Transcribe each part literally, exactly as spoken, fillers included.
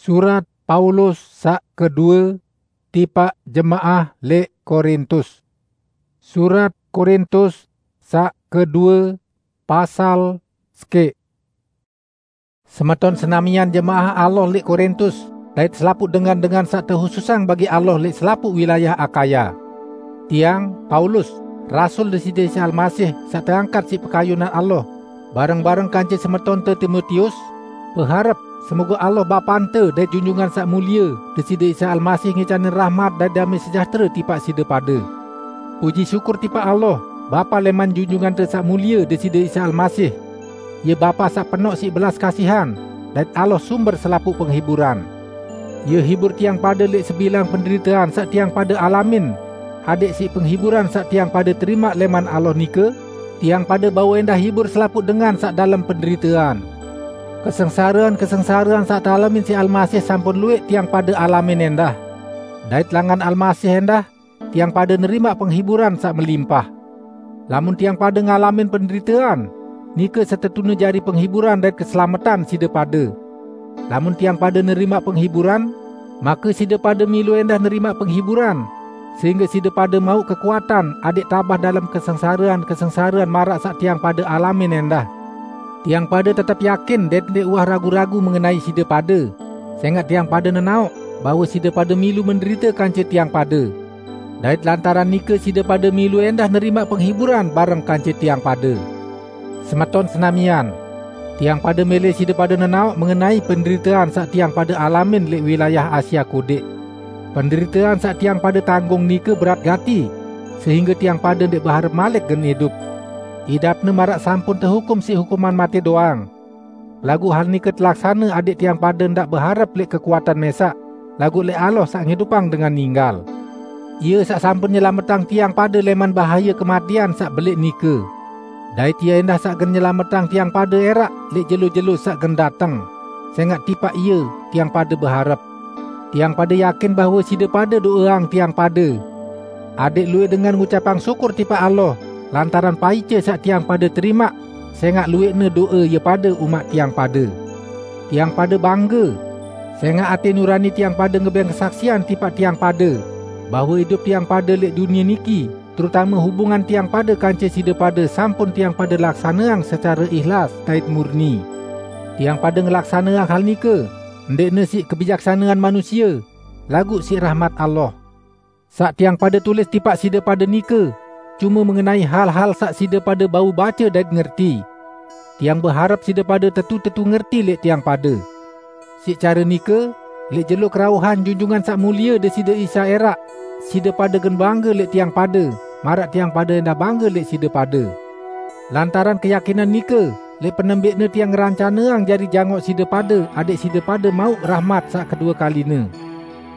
Surat Paulus saq kedue tipaq jemaah leq Korintus. Surat Korintus saq kedue, pasal sekeq. Semeton senamian jemaah Allah leq Korintus, dait selapuq dengan-dengan saq tehususang bagi Allah leq selapuq wilayah Akhaya. Tiang, Paulus, rasul Deside Isa Almasih saq teangkat siq pekayunan Allah, bareng-bareng kance semetonte Timotius, beharep semoge Allah Bapante dait Junjungan Saq Mulie Deside Isa Almasih ngicanin rahmat dait dame sejahtere tipaq side pade. Puji syukur tipaq Allah, Bapa leman Junjungante Saq Mulie Deside Isa Almasih. Ie Bapa saq penoq siq belas kasihan, dait Allah sumber selapuq penghiburan. Ie hibur tiang pade leq sebilang penderitean saq tiang pade alamin, adeq siq penghiburan saq tiang pade terimaq leman Allah nike, tiang pade bau endah hibur selapuq dengan saq dalem penderitean. Kesengsarean-kesengsarean saq tealamin siq Almasih sampun lueq tiang pade alamin endah. Dait langan Almasih endah, tiang pade nerimaq penghiburan saq melimpah. Lamun tiang pade ngalamin penderitean, nike setetune jari penghiburan dait keselametan side pade. Lamun tiang pade nerimaq penghiburan, make side pade milu endah nerimaq penghiburan, sehingge side pade mauq kekuatan adeq tabah dalem kesengsarean-kesengsarean maraq saq tiang pade alamin endah. Tiang pade tetep yakin dait ndeq uwah ragu-ragu mengenai side pade, sengaq tiang pade nenaoq bahwe side pade milu menderite kance tiang pade. Dait lantaran nike side pade milu endah nerimaq penghiburan bareng kance tiang pade. Semeton senamian, tiang pade mele side pade nenaoq mengenai penderitean saq tiang pade alamin leq wilayah Asia Kodeq. Penderitean saq tiang pade tanggung nike berat gati, sehingge tiang pade ndeq beharep malik gen idup. Idapne maraq sampun tehukum siq hukuman mate doang. Laguq hal nike telaksane adeq tiang pade ndaq beharep leq kekuatan mesaq, laguq leq Allah saq ngidupang dengan ninggal. Ie saq sampun nyelametang tiang pade leman bahaye kematean saq beleq nike. Dait Ie endah saq gen nyelametang tiang pade eraq leq jelo-jelo saq gen dateng, sengaq tipaq Ie tiang pade beharep. Tiang pade yakin bahwe side pade do'eang tiang pade. Adeq luwih dengan ngucapang syukur tipaq Allah lantaran paice saq tiang pade terimaq, sengaq luwihne do'e ie pade umaq tiang pade. Tiang pade bangge, sengaq ate nurani tiang pade ngebeng kesaksian tipaq tiang pade, bahwe idup tiang pade leq dunie niki, terutame hubungan tiang pade kance side pade, sampun tiang pade laksaneang secare ihlas dait murni. Tiang pade ngelaksaneang hal nike, ndeqne siq kebijaksanean manusie, laguq siq rahmat Allah. Saq tiang pade tulis tipaq side pade nike cume mengenai hal-hal saq side pade bau bace dait ngerti. Tiang beharep side pade tetu-tetu ngerti leq tiang pade. Siq care nike, leq jelo kerauhan Junjungan Saq Mulie Deside Isa eraq, side pade gen bangge leq tiang pade, maraq tiang pade endah bangge leq side pade. Lantaran keyakinan nike, leq penembeqne tiang ngerancaneang jari jangoq side pade, adeq side pade mauq rahmat saq kedue kaline.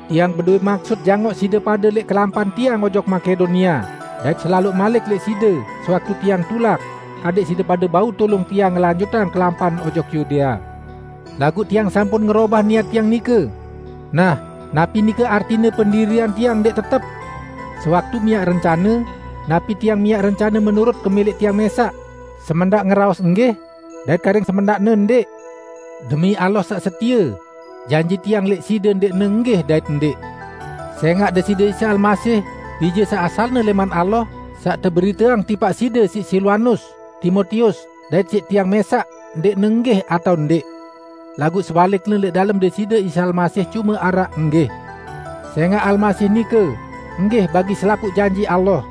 Tiang bedowe maksut jangoq side pade leq kelampan tiang ojok Makedonia, dait selaloq malik leq side, sewaktu tiang tulak, adeq side pade bau tulung tiang ngelanjutang kelampan ojok Yudea. Laguq tiang sampun ngerobah niat tiang nike. Nah, napi nike artine pendirian tiang ndeq tetep? Sewaktu miaq rencane, napi tiang miaq rencane menurut kemeleq tiang mesaq, semendaq ngeraos "Nggih", dait karing semendaqne "Ndeq"? Demi Allah saq setie, janji tiang leq side ndeqne "Nggih" dait "Ndeq". Sengaq Deside Isa Almasih, Bije saq asalne leman Allah, saq teberiteang tipaq side siq Silwanus, Timotius, dait siq tiang mesaq, ndeqne "Nggih" atao "Ndeq". Laguq sebalikne, leq dalem Deside Isa Almasih cume araq "Nggih". Sengaq Almasih nike "Nggih" bagi selapuq janji Allah.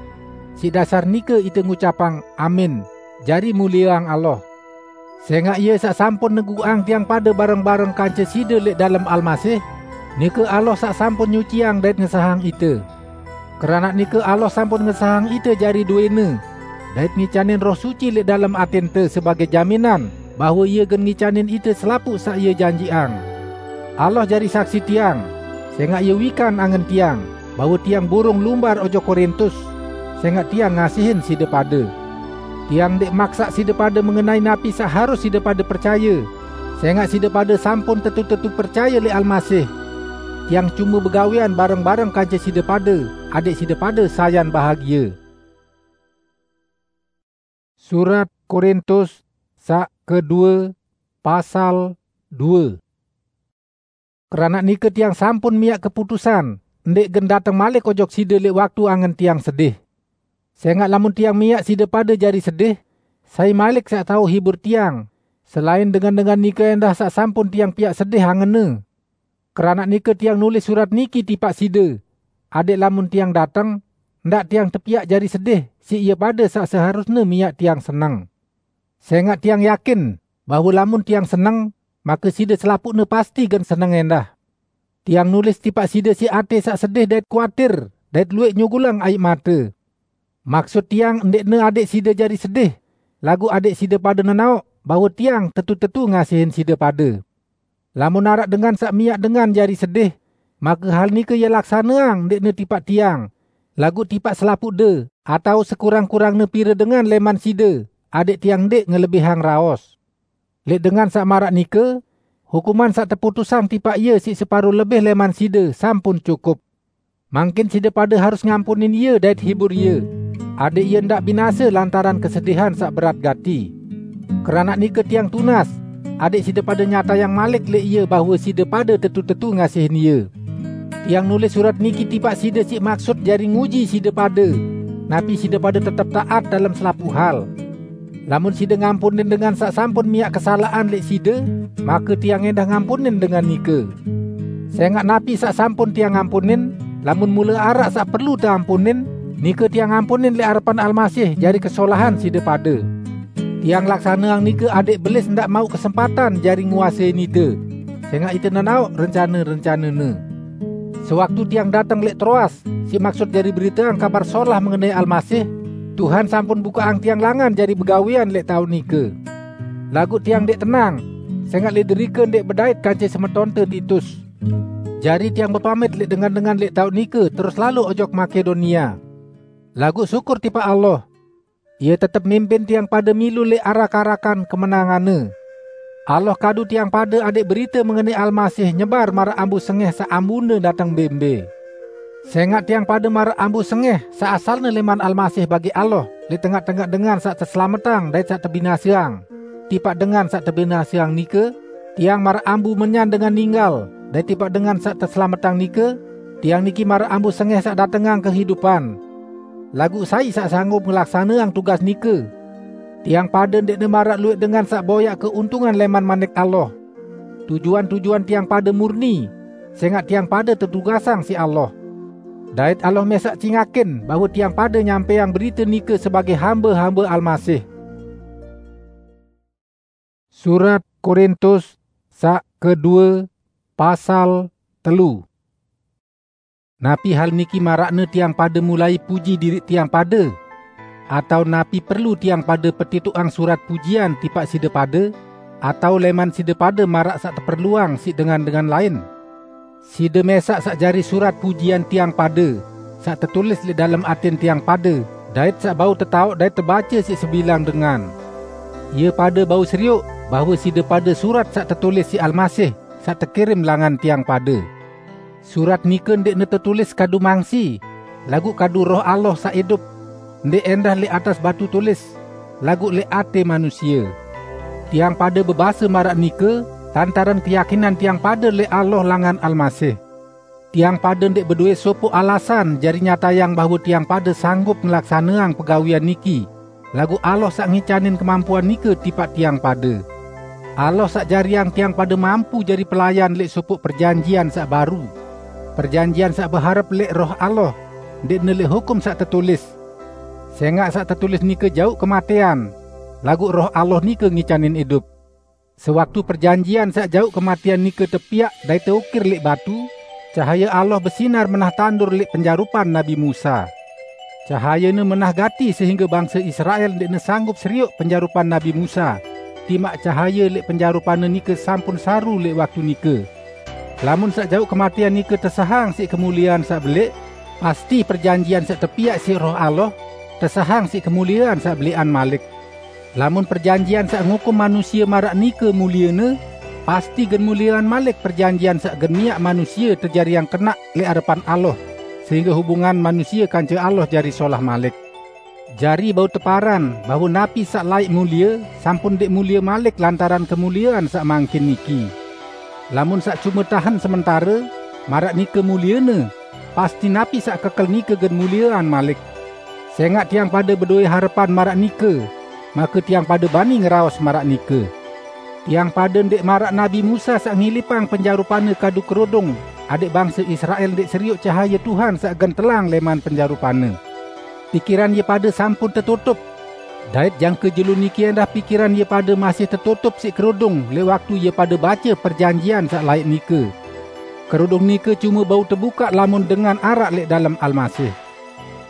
Siq dasar nike ite ngucapang "Amin", jari mulieang Allah. Sengaq Ie saq sampun neguqang tiang pade bareng-bareng kance side leq dalem Almasih, nike Allah saq sampun nyuciang dait ngesahang ite. Keranaq nike Allah sampun ngesahang ite jari dowene, dait ngicanin Roh Suci leq dalem atente sebagei jaminan bahwe Ie gen ngicanin ite selapuq saq Ie janjiqang. Allah jari saksi tiang, sengaq Ie wikan angen tiang, bahwe tiang burung lumbar ojok Korintus, sengaq tiang ngasihin side pade. Tiang ndeq maksaq side pade mengenai napi saq harus side pade percaye, sengaq side pade sampun tetu-tetu percaye leq Almasih. Tiang cume begawean bareng-bareng kance side pade, adeq side pade sayan bahagie. Surat Korintus saq kedue, pasal due. Keranaq nike tiang sampun miaq keputusan, ndeq gen dateng malik ojok side leq waktu angen tiang sedih. Sengaq lamun tiang miaq side pade jari sedih, sai malik saq tao hibur tiang, selain dengan-dengan nike endah saq sampun tiang piaq sedih angenne? Keranaq nike tiang nulis surat niki tipaq side, adeq lamun tiang dateng, ndaq tiang tepiaq jari sedih siq ie pade saq seharusne miaq tiang seneng. Sengaq tiang yakin bahwe lamun tiang seneng, make side selapuqne pasti gen seneng endah. Tiang nulis tipaq side siq ate saq sedih dait kuatir, dait lueq nyugulang aiq mate. Maksut tiang ndeqne adeq side jari sedih, laguq adeq side pade nenaoq bahwe tiang tetu-tetu ngasihin side pade. Lamun araq dengan saq miaq dengan jari sedih, make hal nike ie laksaneang ndeqne tipaq tiang, laguq tipaq selapuqde, atao sekurang-kurangne pire dengan leman side, adeq tiang ndeq ngelebihang raos. Leq dengan saq maraq nike, hukuman saq teputusang tipaq ie siq separo lebih leman side sampun cukup. Mangkin side pade harus ngampunin ie dait hibur ie, adeq ie ndaq binase lantaran kesedihan saq berat gati. Keranaq nike tiang tunas, adeq side pade nyatayang malik leq ie bahwe side pade tetu-tetu ngasihin ie. Tiang nulis surat niki tipaq side siq maksut jari nguji side pade, napi side pade tetep taat dalem selapuq hal. Lamun side ngampunin dengan saq sampun miaq kesalaqan leq side, make tiang endah ngampunin dengan nike. Sengaq napi saq sampun tiang ampunin, lamun mule araq saq perlu teampunin, nike tiang ampunin leq arepan Almasih jari kesolahan side pade. Tiang laksaneang nike adeq Belis ndaq mauq kesempatan jari nguasein ite, sengaq ite nenaoq rencane-rencanene. Sewaktu tiang dateng leq Troas, siq maksut jari beriteang Kabar Solah mengenai Almasih, Tuhan sampun bukaqang tiang langan jari begawean leq taoq nike. Laguq tiang ndeq tenang, sengaq leq derike ndeq bedait kance semetonte Titus. Jari tiang bepamit leq dengan-dengan leq taoq nike terus lalo ojok Makedonia. Laguq syukur tipaq Allah, Ie tetep mimpin tiang pade milu leq arak-arakan kemenanganne. Allah kadu tiang pade adeq berite mengenai Almasih nyebar maraq ambu sengeh saq ambune dateng mbe-mbe. Sengaq tiang pade maraq ambu sengeh saq asalne leman Almasih bagi Allah leq tengaq-tengaq dengan saq teselametang dait saq tebinaseang. Tipaq dengan saq tebinaseang nike, tiang maraq ambu menyan dengan ninggal, dait tipaq dengan saq teselametang nike, tiang niki maraq ambu sengeh saq datengang kehidupan. Laguq sai saq sanggup ngelaksaneang tugas nike? Tiang pade ndeqne maraq lueq dengan saq boyaq keuntungan leman manik Allah. Tujuan-tujuan tiang pade murni, sengaq tiang pade tetugasang siq Allah. Dait Allah mesaq cingakin bahwe tiang pade nyampeang berite nike sebagaq hambe-hambe Almasih. Surat Korintus saq kedue, pasal telu. Napi hal niki maraqne tiang pade mulai puji diriq tiang pade? Atao napi perlu tiang pade petitoqang surat pujian tipaq side pade? Atao leman side pade maraq saq teperluang siq dengan-dengan lain? Side mesaq saq jari surat pujian tiang pade, saq tetulis leq dalem atin tiang pade, dait saq bau tetaoq dait tebace siq sebilang dengan. Ie pade bau serioq bahwe side pade surat saq tetulis siq Almasih, saq tekirim langan tiang pade. Surat nike ndeqne tetulis kadu mangsi, laguq kadu Roh Allah saq idup, ndeq endah leq atas batu tulis, laguq leq ate manusie. Tiang pade bebase maraq nike, lantaran keyakinan tiang pade leq Allah langan Almasih. Tiang pade ndeq bedowe sopoq alasan jari nyatayang bahwe tiang pade sanggup ngelaksaneang pegawean niki, laguq Allah saq ngicanin kemampuan nike tipaq tiang pade. Allah saq jariang tiang pade mampu jari pelayan leq sopoq perjanjian saq baru, perjanjian saq beharep leq Roh Allah, ndeqne leq hukum saq tetulis. Sengaq saq tetulis nike jauq kematean, laguq Roh Allah nike ngicanin idup. Sewaktu perjanjian saq jauq kematean nike tepiaq dait teukir leq batu, cahaye Allah besinar menah tandur leq penjarupan Nabi Musa. Cahayene menah gati sehingge bangse Israel ndeqne sanggup serioq penjarupan Nabi Musa, timaq cahaye leq penjarupanne nike sampun saru leq waktu nike. Lamun saq jauq kematean nike tesahang siq kemuliean saq beleq, pasti perjanjian saq tepiaq siq Roh Allah tesahang siq kemuliean saq beleqan malik. Lamun perjanjian saq ngukum manusie maraq nike muliene, pasti gen muliean malik perjanjian saq gen miaq manusie tejariang kenaq leq arepan Allah, sehingge hubungan manusie kance Allah jari solah malik. Jari bau teparan bahwe napi saq laeq mulie, sampun ndeq mulie malik lantaran kemuliean saq mangkin niki. Lamun saq cume tahen sementare, maraq nike muliene, pasti napi saq kekel nike gen muliean malik. Sengaq tiang pade bedowẽ harepan maraq nike, make tiang pade bani ngeraos maraq nike. Tiang pade ndeq maraq Nabi Musa saq ngilipang penjarupanne kadu kerodong, adẽq bangse Israel ndeq serioq cahaye Tuhan saq gen telang leman penjarupanne. Pikiran ie pade sampun tetutup, dait jangke jelo niki endah pikiran ie pade masih tetutup siq kerodong leq waktu ie pade bace perjanjian saq laeq nike. Kerodong nike cume bau tebukaq lamun dengan araq leq dalem Almasih.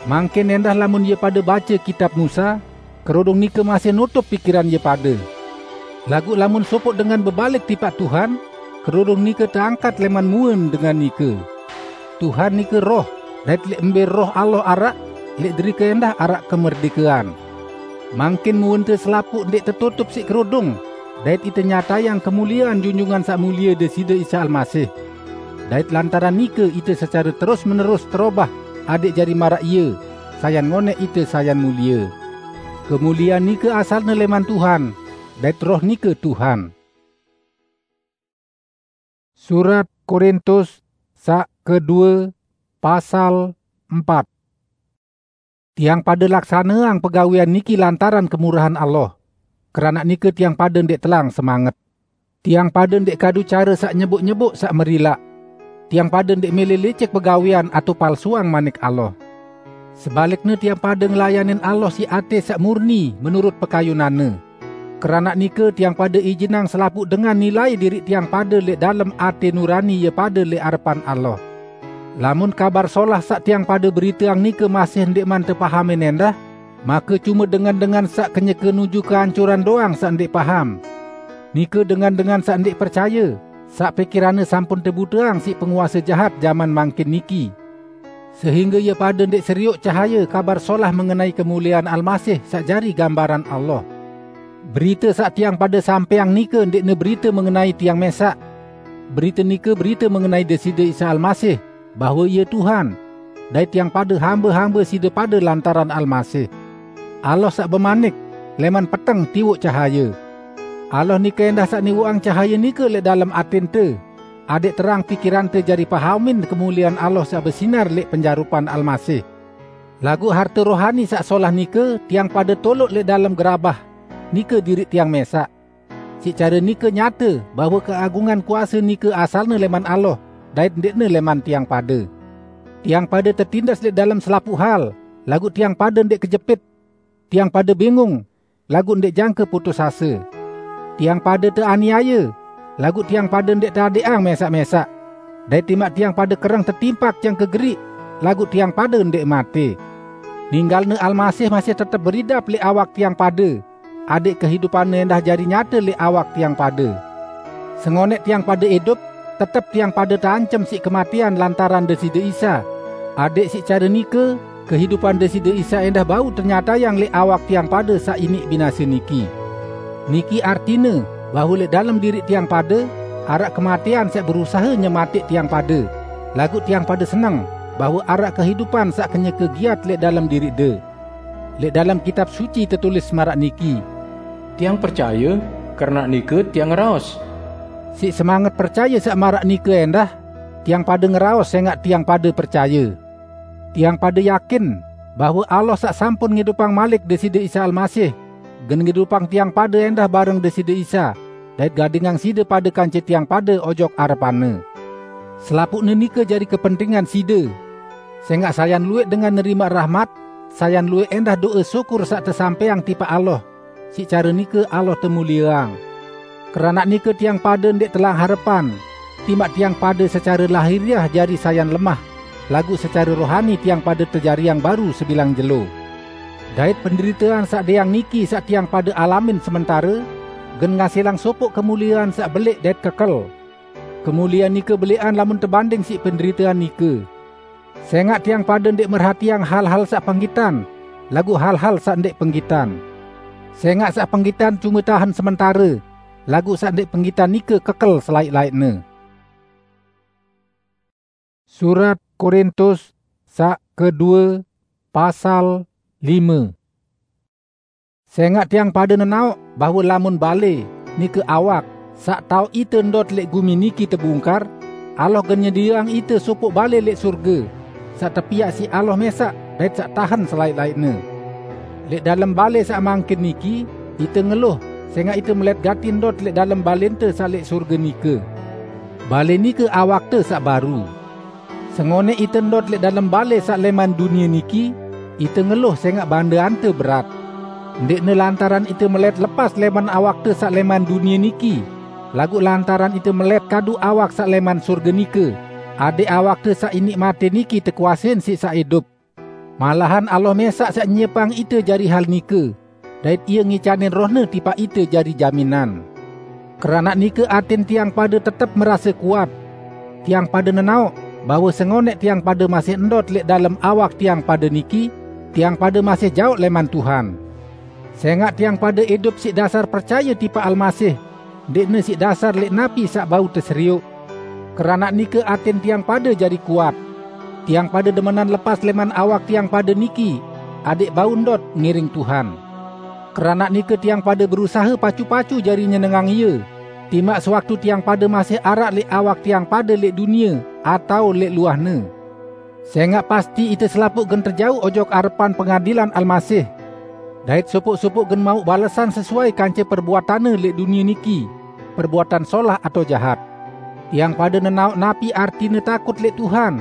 Mangkin endah lamun ie pade bace kitab Musa, kerodong nike masih nutup pikiran ie pade. Laguq lamun sopoq dengan bebalik tipaq Tuhan, kerodong nike teangkat leman muen dengan nike. Tuhan nike Roh, dait leq mbe Roh Allah araq, leq derike endah araq kemerdikean. Mangkin muente selapuq ndeq tetutup siq kerodong, dait ite nyatayang kemuliean Junjungan Saq Mulie Deside Isa Almasih. Dait lantaran nike ite secare terus-menerus terobah, adẽq jari maraq Ie, sayan ngoneq ite sayan mulie. Kemuliean nike asalne leman Tuhan, dait Roh nike Tuhan. Surat Korintus saq kedue, pasal empat. Tiang pade laksaneang pegawean niki lantaran kemurahan Allah. Keranaq nike tiang pade ndeq telang semanget. Tiang pade ndeq kadu care saq nyeboq-nyeboq saq merilaq. Tiang pade ndeq mele licik pegawean atao palsuang Manik Allah. Sebalikne, tiang pade ngelayanin Allah siq ate saq murni menurut pekayunanne. Keranaq nike, tiang pade ijinang selapuq dengan nilai diriq tiang pade leq dalem ate nurani ie pade leq arepan Allah. Lamun Kabar Solah saq tiang pade beriteang nike masih ndeqman tepahamin endah, make cume dengan-dengan saq kenyeke nuju keancuran doang saq ndeq paham. Nike dengan-dengan saq ndeq percaye, saq pikiranne sampun tebuteang siq penguase jahat jaman mangkin niki, sehingge ie pade ndeq serioq cahaye Kabar Solah mengenai kemuliean Almasih saq jari gambaran Allah. Berite saq tiang pade sampeang nike ndeqne berite mengenai tiang mesaq. Berite nike berite mengenai Deside Isa Almasih, bahwe Ie Tuhan, dait tiang pade hambe-hambe side pade lantaran Almasih. Allah saq bemanik, "Leman peteng tiwoq cahaye." Allah nike endah saq niwoqang cahaye nike leq dalem atente, adẽq terang pikirante jari pahamin kemuliean Allah saq besinar leq penjarupan Almasih. Laguq harte rohani saq solah nike tiang pade toloq leq dalem gerabah, nike diriq tiang mesaq. Siq care nike nyate bahwe keagungan kuase nike asalne leman Allah, dait ndeqne leman tiang pade. Tiang pade tetindas leq dalem selapuq hal, laguq tiang pade ndeq kejepit. Tiang pade bingung, laguq ndeq jangke putus ase. Tiang pade teaniaye, laguq tiang pade ndeq teadeqang mesaq-mesaq. Dait timaq tiang pade kereng tetimpak jangke geriq, laguq tiang pade ndeq mate. Ninggalne Almasih masih tetep beridap leq awak tiang pade, adẽq kehidupanne endah jari nyate leq awak tiang pade. Sengoneq tiang pade idup, tetep tiang pade teancem siq kematean lantaran Deside Isa, adẽq siq care nike kehidupan Deside Isa endah bau tenyatayang leq awak tiang pade saq iniq binase niki. Niki artine bahwe leq dalem diriq tiang pade araq kematean saq berusahe nyematẽq tiang pade, laguq tiang pade seneng bahwe araq kehidupan saq kenyeke giat leq dalem diriqde. Leq dalem Kitab Suci tetulis maraq niki, "Tiang percaye, keranaq nike tiang ngeraos." Siq semanget percaye saq maraq nike endah, tiang pade ngeraos sengaq tiang pade percaye. Tiang pade yakin bahwe Allah saq sampun ngidupang malik Deside Isa Almasih, gen ngidupang tiang pade endah bareng Deside Isa, dait gadingang side pade kance tiang pade ojok arepan-Ne. Selapuqne nike jari kepentingan side. Sengaq sayan luwẽq dengan nerimaq rahmat, sayan luwẽq endah do'e syukur saq tesampẽang tipaq Allah, siq care nike Allah temulieang. Keranaq nike tiang pade ndeq telang harepan, timaq tiang pade secare lahiriah jari sayan lemah, laguq secare rohani tiang pade tejariang baru sebilang jelo. Dait penderitean saq deang niki saq tiang pade alamin sementare, gen ngasilang sopoq kemuliean saq beleq dait kekel. Kemuliean nike beleqan lamun tebanding siq penderitean nike. Sengaq tiang pade ndeq merhatiang hal-hal saq penggitan, laguq hal-hal saq ndeq penggitan. Sengaq saq penggitan cume tahen sementare, laguq saq ndeq penggitan nike kekel selaeq-laeqne. Surat Korintus saq kedue, pasal lime. Sengaq tiang pade nenaoq bahwe lamun bale, nike awak, Saq taoq ite ndot leq gumi niki tebungkar, Allah gen nyedieang ite sopoq bale leq sorge, saq tepiaq siq Allah mesaq dait saq tahen selaeq-laeqne. Leq dalem bale saq mangkin niki, ite ngeluh, sengaq ite melet gati ndot leq dalem balente saq leq sorge nike. Bale nike awakte saq baru. Sengoneq ite ndot leq dalem bale saq leman dunie niki, ite ngeluh sengaq bandeante berat. Ndeqne lantaran ite melet lepas leman awakte saq leman dunie niki, laguq lantaran ite melet kadu awak saq leman sorge nike, adeq awakte saq iniq mate niki tekuasein siq saq idup. Malahan Allah mesaq saq nyiepang ite jari hal nike, dait Ie ngicanin Roh-Ne tipaq ite jari jaminan. Keranaq nike atin tiang pade tetep merase kuat. Tiang pade nenaoq bahwe sengoneq tiang pade masih ndot leq dalem awak tiang pade niki, tiang pade masih jaoq leman Tuhan. Sengaq tiang pade idup siq dasar percaye tipaq Almasih, ndeqne siq dasar leq napi saq bau teserioq. Keranaq nike atin tiang pade jari kuat. Tiang pade demenan lepas leman awak tiang pade niki, adeq bau ndot ngiring Tuhan. Keranaq nike tiang pade berusahe pacu-pacu jari nyenengang Ie, timaq sewaktu tiang pade masih araq leq awak tiang pade leq dunie atao leq luahne. Sengaq pasti ite selapuq gen tejauq ojok arepan pengadilan Almasih. Dait sopoq-sopoq gen mauq balesan sesuai kance perbuatanne leq dunie niki, perbuatan solah atao jahat. Tiang pade nenaoq napi artine takut leq Tuhan.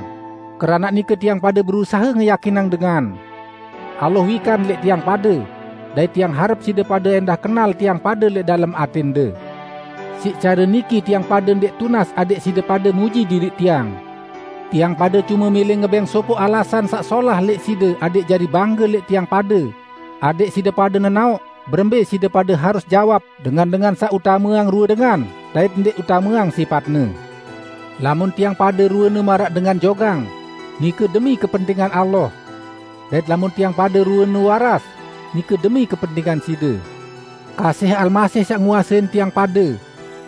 Keranaq nike tiang pade berusahe ngeyakinang dengan. Allah wikan leq tiang pade, dait tiang harep side pade endah kenal tiang pade leq dalem atende. Siq care niki tiang pade ndeq tunas adeq side pade muji diriq tiang. Tiang pade cume mele ngebeng sopoq alasan saq solah leq side adeq jari bangge leq tiang pade, adeq side pade nenaoq berembe side pade harus jawab dengan-dengan saq utameang rue dengan dait ndeq utameang sipatne. Lamun tiang pade ruene maraq dengan jogang, nike demi kepentingan Allah. Dait lamun tiang pade ruene waras, nike demi kepentingan side. Kasih Almasih saq nguasein tiang pade,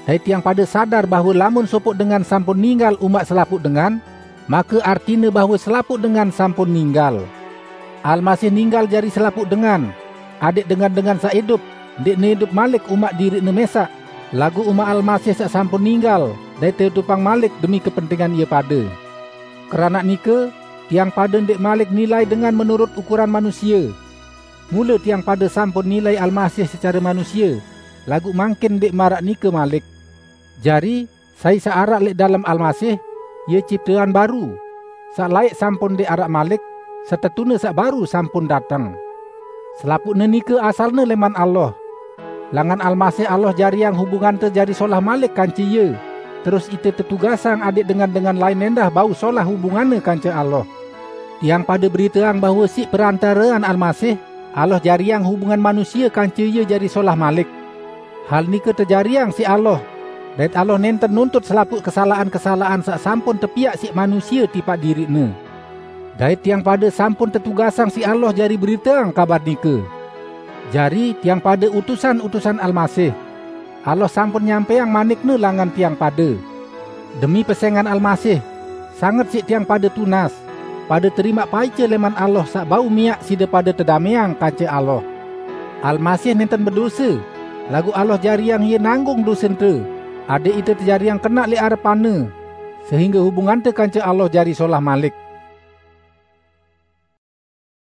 dait tiang pade sadar bahwe lamun sopoq dengan sampun ninggal umaq selapuq dengan, make artine bahwe selapuq dengan sampun ninggal. Almasih ninggal jari selapuq dengan, adeq dengan-dengan saq idup, ndeqne idup malik umaq diriqne mesaq, laguq umaq Almasih saq sampun ninggal dait teidupang malik demi kepentingan ie pade. Keranaq nike, tiang pade ndeq malik nilai dengan menurut ukuran manusie. Mule tiang pade sampun nilai Almasih secare manusie, laguq mangkin ndeq maraq nike malik. Jari, sai saq araq leq dalem Almasih, ie ciptean baru. Saq laeq sampun ndeq araq malik, setetune saq baru sampun dateng. Selapuqne nike asalne leman Allah. Langan Almasih Allah jariang hubungante jari solah malik kance Ie, terus ite tetugasang adeq dengan-dengan lain endah bau solah hubunganne kance Allah. Tiang pade beriteang bahwe siq perantarean Almasih, Allah jariang hubungan manusie kance Ie jari solah malik. Hal nike tejariang siq Allah, dait Allah nenten nuntut selapuq kesalaqan-kesalaqan saq sampun tepiaq siq manusie tipaq diriqne. Dait tiang pade sampun tetugasang siq Allah jari beriteang kabar nike. Jari, tiang pade utusan-utusan Almasih. Allah sampun nyampaiang manik-Ne langan tiang pade. Demi pesengan Almasih, sanget siq tiang pade tunas, pade terimaq paice leman Allah saq bau miaq side pade tedameang kance Allah. Almasih nenten bedose, laguq Allah jariang Ie nanggung dosente, adeq ite tejariang kenaq leq arepan-Ne, sehingge hubungante kance Allah jari solah malik.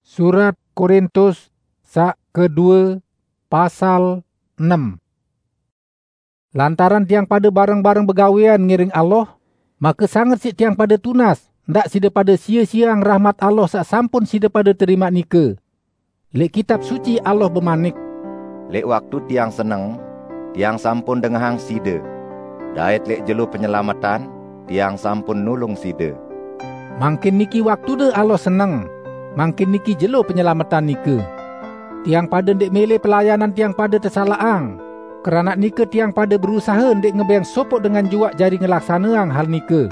Surat Korintus saq kedue, pasal enem. Lantaran tiang pade bareng-bareng begawean ngiring Allah, make sanget siq tiang pade tunas, ndaq side pade sie-sieang rahmat Allah saq sampun side pade terimaq nike. Leq Kitab Suci Allah bemanik, "Leq waktu tiang seneng, tiang sampun dengahang side, dait leq jelo penyelametan, tiang sampun nulung side." Mangkin niki waktude Allah seneng, mangkin niki jelo penyelametan nike. Tiang pade ndeq mele pelayanan tiang pade tesalaqang. Keranaq nike tiang pade berusahe ndeq ngebeng sopoq dengan juaq jari ngelaksaneang hal nike.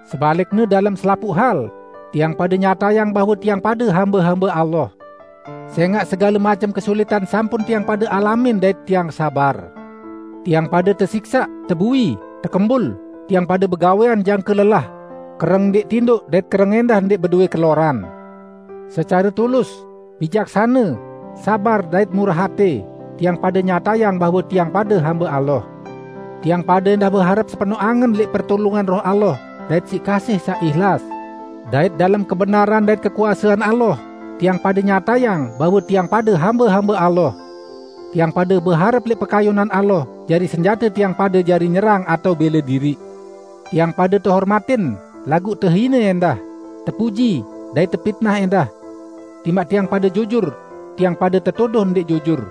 Sebalikne, dalem selapuq hal, tiang pade nyatayang bahwe tiang pade hambe-hambe Allah. Sengaq segale macem kesulitan sampun tiang pade alamin dait tiang sabar. Tiang pade tesiksaq, tebui, tekembul, tiang pade begawean jangke lelah, kereng ndeq tindoq dait kereng endah ndeq bedowe keloran. Secare tulus, bijaksane, sabar dait murah ate, tiang pade nyatayang bahwe tiang pade hambe Allah. Tiang pade endah beharep sepeno angen leq pertulungan Roh Allah, dait siq kasih saq ihlas. Dait dalem kebenaran dait kekuasean Allah, tiang pade nyatayang bahwe tiang pade hambe-hambe Allah. Tiang pade beharep leq pekayunan Allah, jari senjate tiang pade jari nyerang atao bele diriq. Tiang pade tehormatin, laguq tehine endah, tepuji, dait tepitnah endah. Timaq tiang pade jujur, tiang pade tetuduh ndeq jujur.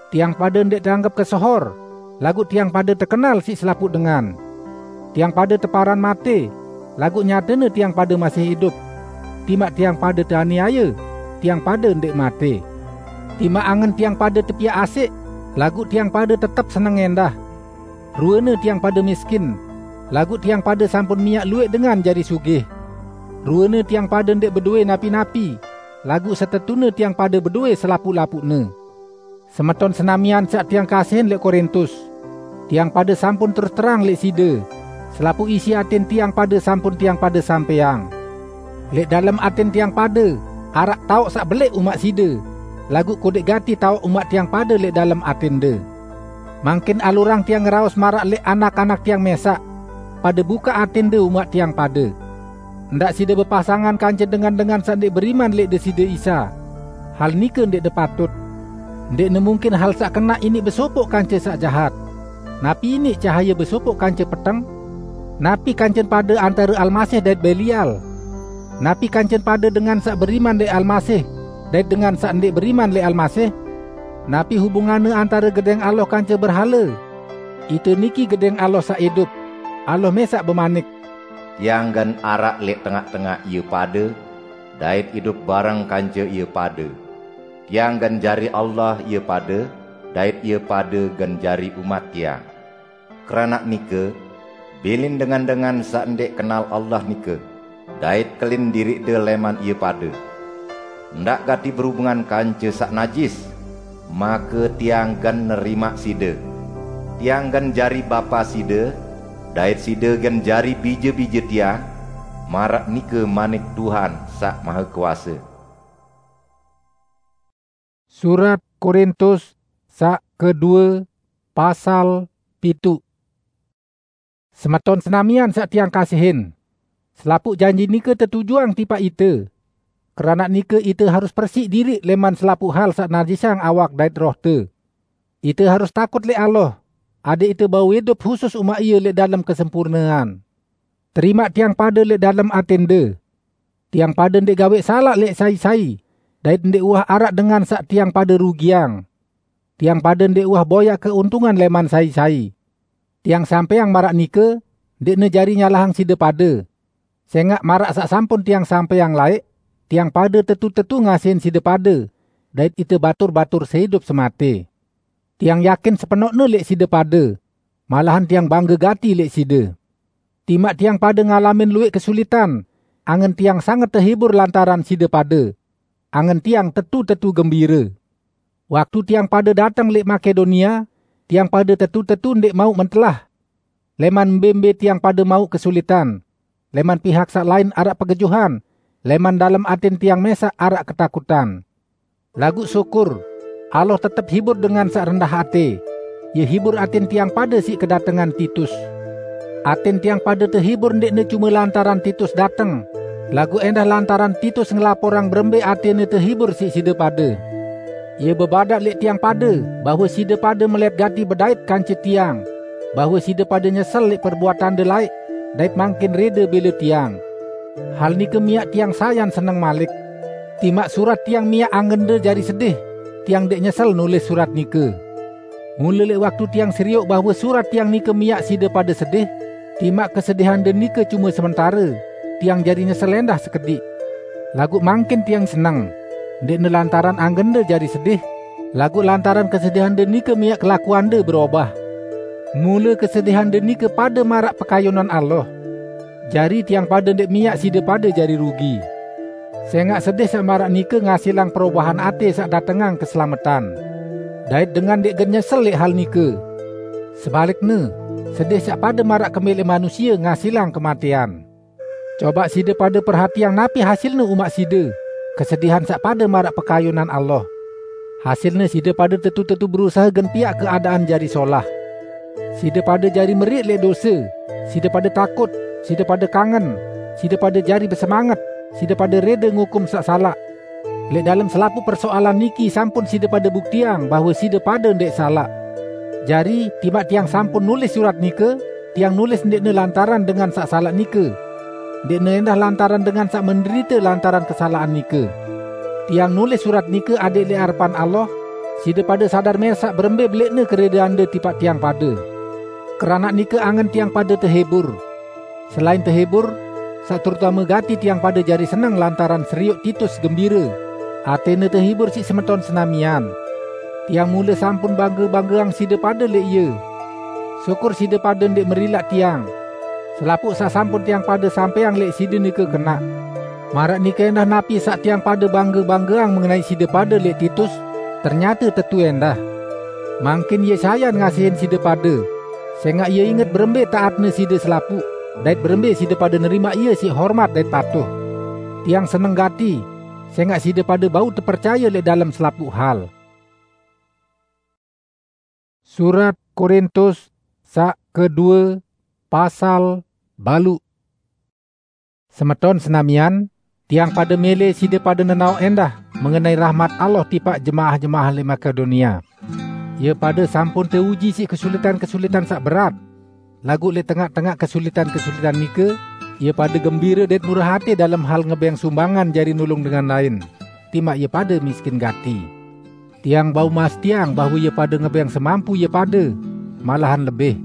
Tiang pade ndeq teanggep kesehor, laguq tiang pade tekenal siq selapuq dengan. Tiang pade teparan mate, laguq nyatene tiang pade masih idup. Timaq tiang pade teaniaye, tiang pade ndeq mate. Timaq angen tiang pade tepiaq asik, laguq tiang pade tetep seneng endah. Ruene tiang pade miskin, laguq tiang pade sampun miaq lueq dengan jari sugih. Ruene tiang pade ndeq bedoe napi-napi, laguq setetune tiang pade bedoe selapuq-lapuqne. Semeton senamian saq tiang kasihin leq Korintus, tiang pade sampun terus terang leq side, selapuq isi atin tiang pade sampun tiang pade sampeang. Leq dalem atin tiang pade araq taoq saq beleq umaq side, laguq kodeq gati taoq umaq tiang pade leq dalem atinde. Mangkin alurang tiang ngeraos maraq leq anak-anak tiang mesaq, pade bukaq atinde umaq tiang pade. Ndaq side bepasangan kance dengan-dengan saq ndeq beriman leq Deside Isa. Hal nike ndeqne patut. Ndeqne mungkin hal saq kenaq iniq besopoq kance saq jahat. Napi iniq cahaye besopoq kance peteng? Napi kancen pade antare Almasih dait Belial? Napi kancen pade dengan saq beriman leq Almasih dait dengan saq ndeq beriman leq Almasih? Napi hubunganne antare Gedeng Allah kance berhale? Ite niki Gedeng Allah saq idup. Allah mesaq bemanik, "Tiang gen araq leq tengaq-tengaq ie pade, dait idup bareng kance ie pade. Tiang gen jari Allah ie pade, dait ie pade gen jari umat Tiang. Keranaq nike, bilin dengan-dengan saq ndeq kenal Allah nike, dait kelin diriqde leman ie pade. Ndaq gati berubungan kance saq najis, make Tiang gen nerimaq side. Tiang gen jari Bapa side, dait side gen jari bije-bije Tiang, maraq nike manik Tuhan Saq Mahekuase." Surat Korintus saq kedue, pasal pitu. Semeton senamian saq tiang kasihin, selapuq janji nike tetujuang tipaq ite. Keranaq nike ite harus persiq diriq leman selapuq hal saq najisang awak dait rohte. Ite harus takut leq Allah, adaq ite bau idup husus umaq Ie leq dalem kesempurnean. Terimaq tiang pade leq dalem atinde. Tiang pade ndeq gaweq salaq leq sai-sai, dait ndeq uwah araq dengan saq tiang pade rugiang. Tiang pade ndeq uwah boyaq keuntungan leman sai-sai. Tiang sampeang maraq nike, ndeqne jari nyalahang side pade. Sengaq maraq saq sampun tiang sampeang laeq, tiang pade tetu-tetu ngasihin side pade, dait ite batur-batur seidup semate. Tiang yakin sepenoqne leq side pade, malahan tiang bangge gati leq side. Timaq tiang pade ngalamin lueq kesulitan, angen tiang sanget tehibur lantaran side pade. Angen tiang tetu-tetu gembire. Waktu tiang pade dateng leq Makedonia, tiang pade tetu-tetu ndeq mauq mentelah. Leman mbe-mbe tiang pade mauq kesulitan, leman pihak saq lain araq pegejuhan, leman dalem atin tiang mesaq araq ketakutan. Laguq syukur, Allah tetep hibur dengan saq rendah ate. Ie hibur atin tiang pade siq kedatengan Titus. Atin tiang pade tehibur ndeqne cume lantaran Titus dateng, laguq endah lantaran Titus ngelaporang berembe atene tehibur siq side pade. Ie bebadaq leq tiang pade bahwe side pade melet gati bedait kance tiang, bahwe side pade nyesel leq perbuatande laeq, dait mangkin rede bele tiang. Hal nike miaq tiang sayan seneng malik. Timaq surat tiang miaq angende jari sedih, tiang ndeq nyesel nulis surat nike. Mule leq waktu tiang serioq bahwe surat tiang nike miaq side pade sedih, timaq kesedihande nike cume sementare, tiang jari nyesel endah sekediq. Laguq mangkin tiang seneng, ndeqne lantaran angende jari sedih, laguq lantaran kesedihande nike miaq kelakuande berobah. Mule kesedihande nike pade maraq pekayunan Allah. Jari tiang pade ndeq miaq side pade jari rugi. Sengaq sedih saq maraq nike ngasilang perobahan ate saq datengang keselametan. Dait dengan ndeq gen nyesel leq hal nike. Sebalikne, sedih saq pade maraq kembe leq manusie ngasilang kematean. Cobaq side pade perhatiang napi hasilne umaq side, kesedihan saq pade maraq pekayunan Allah. Hasilne side pade tetu-tetu berusahe gen piaq keadaan jari solah. Side pade jari meriq leq dose, side pade takut, side pade kangen, side pade jari besemanget, side pade rede ngukum saq salaq. Leq dalem selapuq persoalan niki sampun side pade buktiang bahwe side pade ndeq salaq. Jari, timaq tiang sampun nulis surat nike, tiang nulis ndeqne lantaran dengan saq salaq nike. Ndeqne endah lantaran dengan saq menderite lantaran kesalaqan nike. Tiang nulis surat nike adẽq leq arepan Allah, side pade sadar mẽsaq berembe beleqne keredeande tipaq tiang pade. Keranaq nike angen tiang pade tehibur. Selain tehibur, saq terutame gati tiang pade jari seneng lantaran serioq Titus gembire. Atẽne tehibur siq semeton senamian. Tiang mule sampun bangge-banggeang side pade leq ie. Syukur side pade ndeq merilaq tiang. Selapuq saq sampun tiang pade sampẽang leq side nike kenaq. Maraq nike endah napi saq tiang pade bangge-banggeang mengenai side pade leq Titus, ternyate tetu endah. Mangkin ie sayan ngasihin side pade, sẽngaq ie inget berembe taatne side selapuq, dait berembe side pade nerimaq ie siq hormat dait patuh. Tiang seneng gati, sẽngaq side pade bau tepercaye leq dalem selapuq hal. Surat Korintus saq kedue, pasal baluq. Semeton senamian, tiang pade mele side pade nenaoq endah mengenai rahmat Allah tipaq jemaah-jemaah leq Makedonia. Ie pade sampun teuji siq kesulitan-kesulitan saq berat. Laguq leq tengaq-tengaq kesulitan-kesulitan nike, ie pade gembire dait murah ate dalem hal ngebẽng sumbangan jari nulung dengan lain, timaq ie pade miskin gati. Tiang bau mastiang bahwe ie pade ngebẽng semampu ie pade, malahan lebih.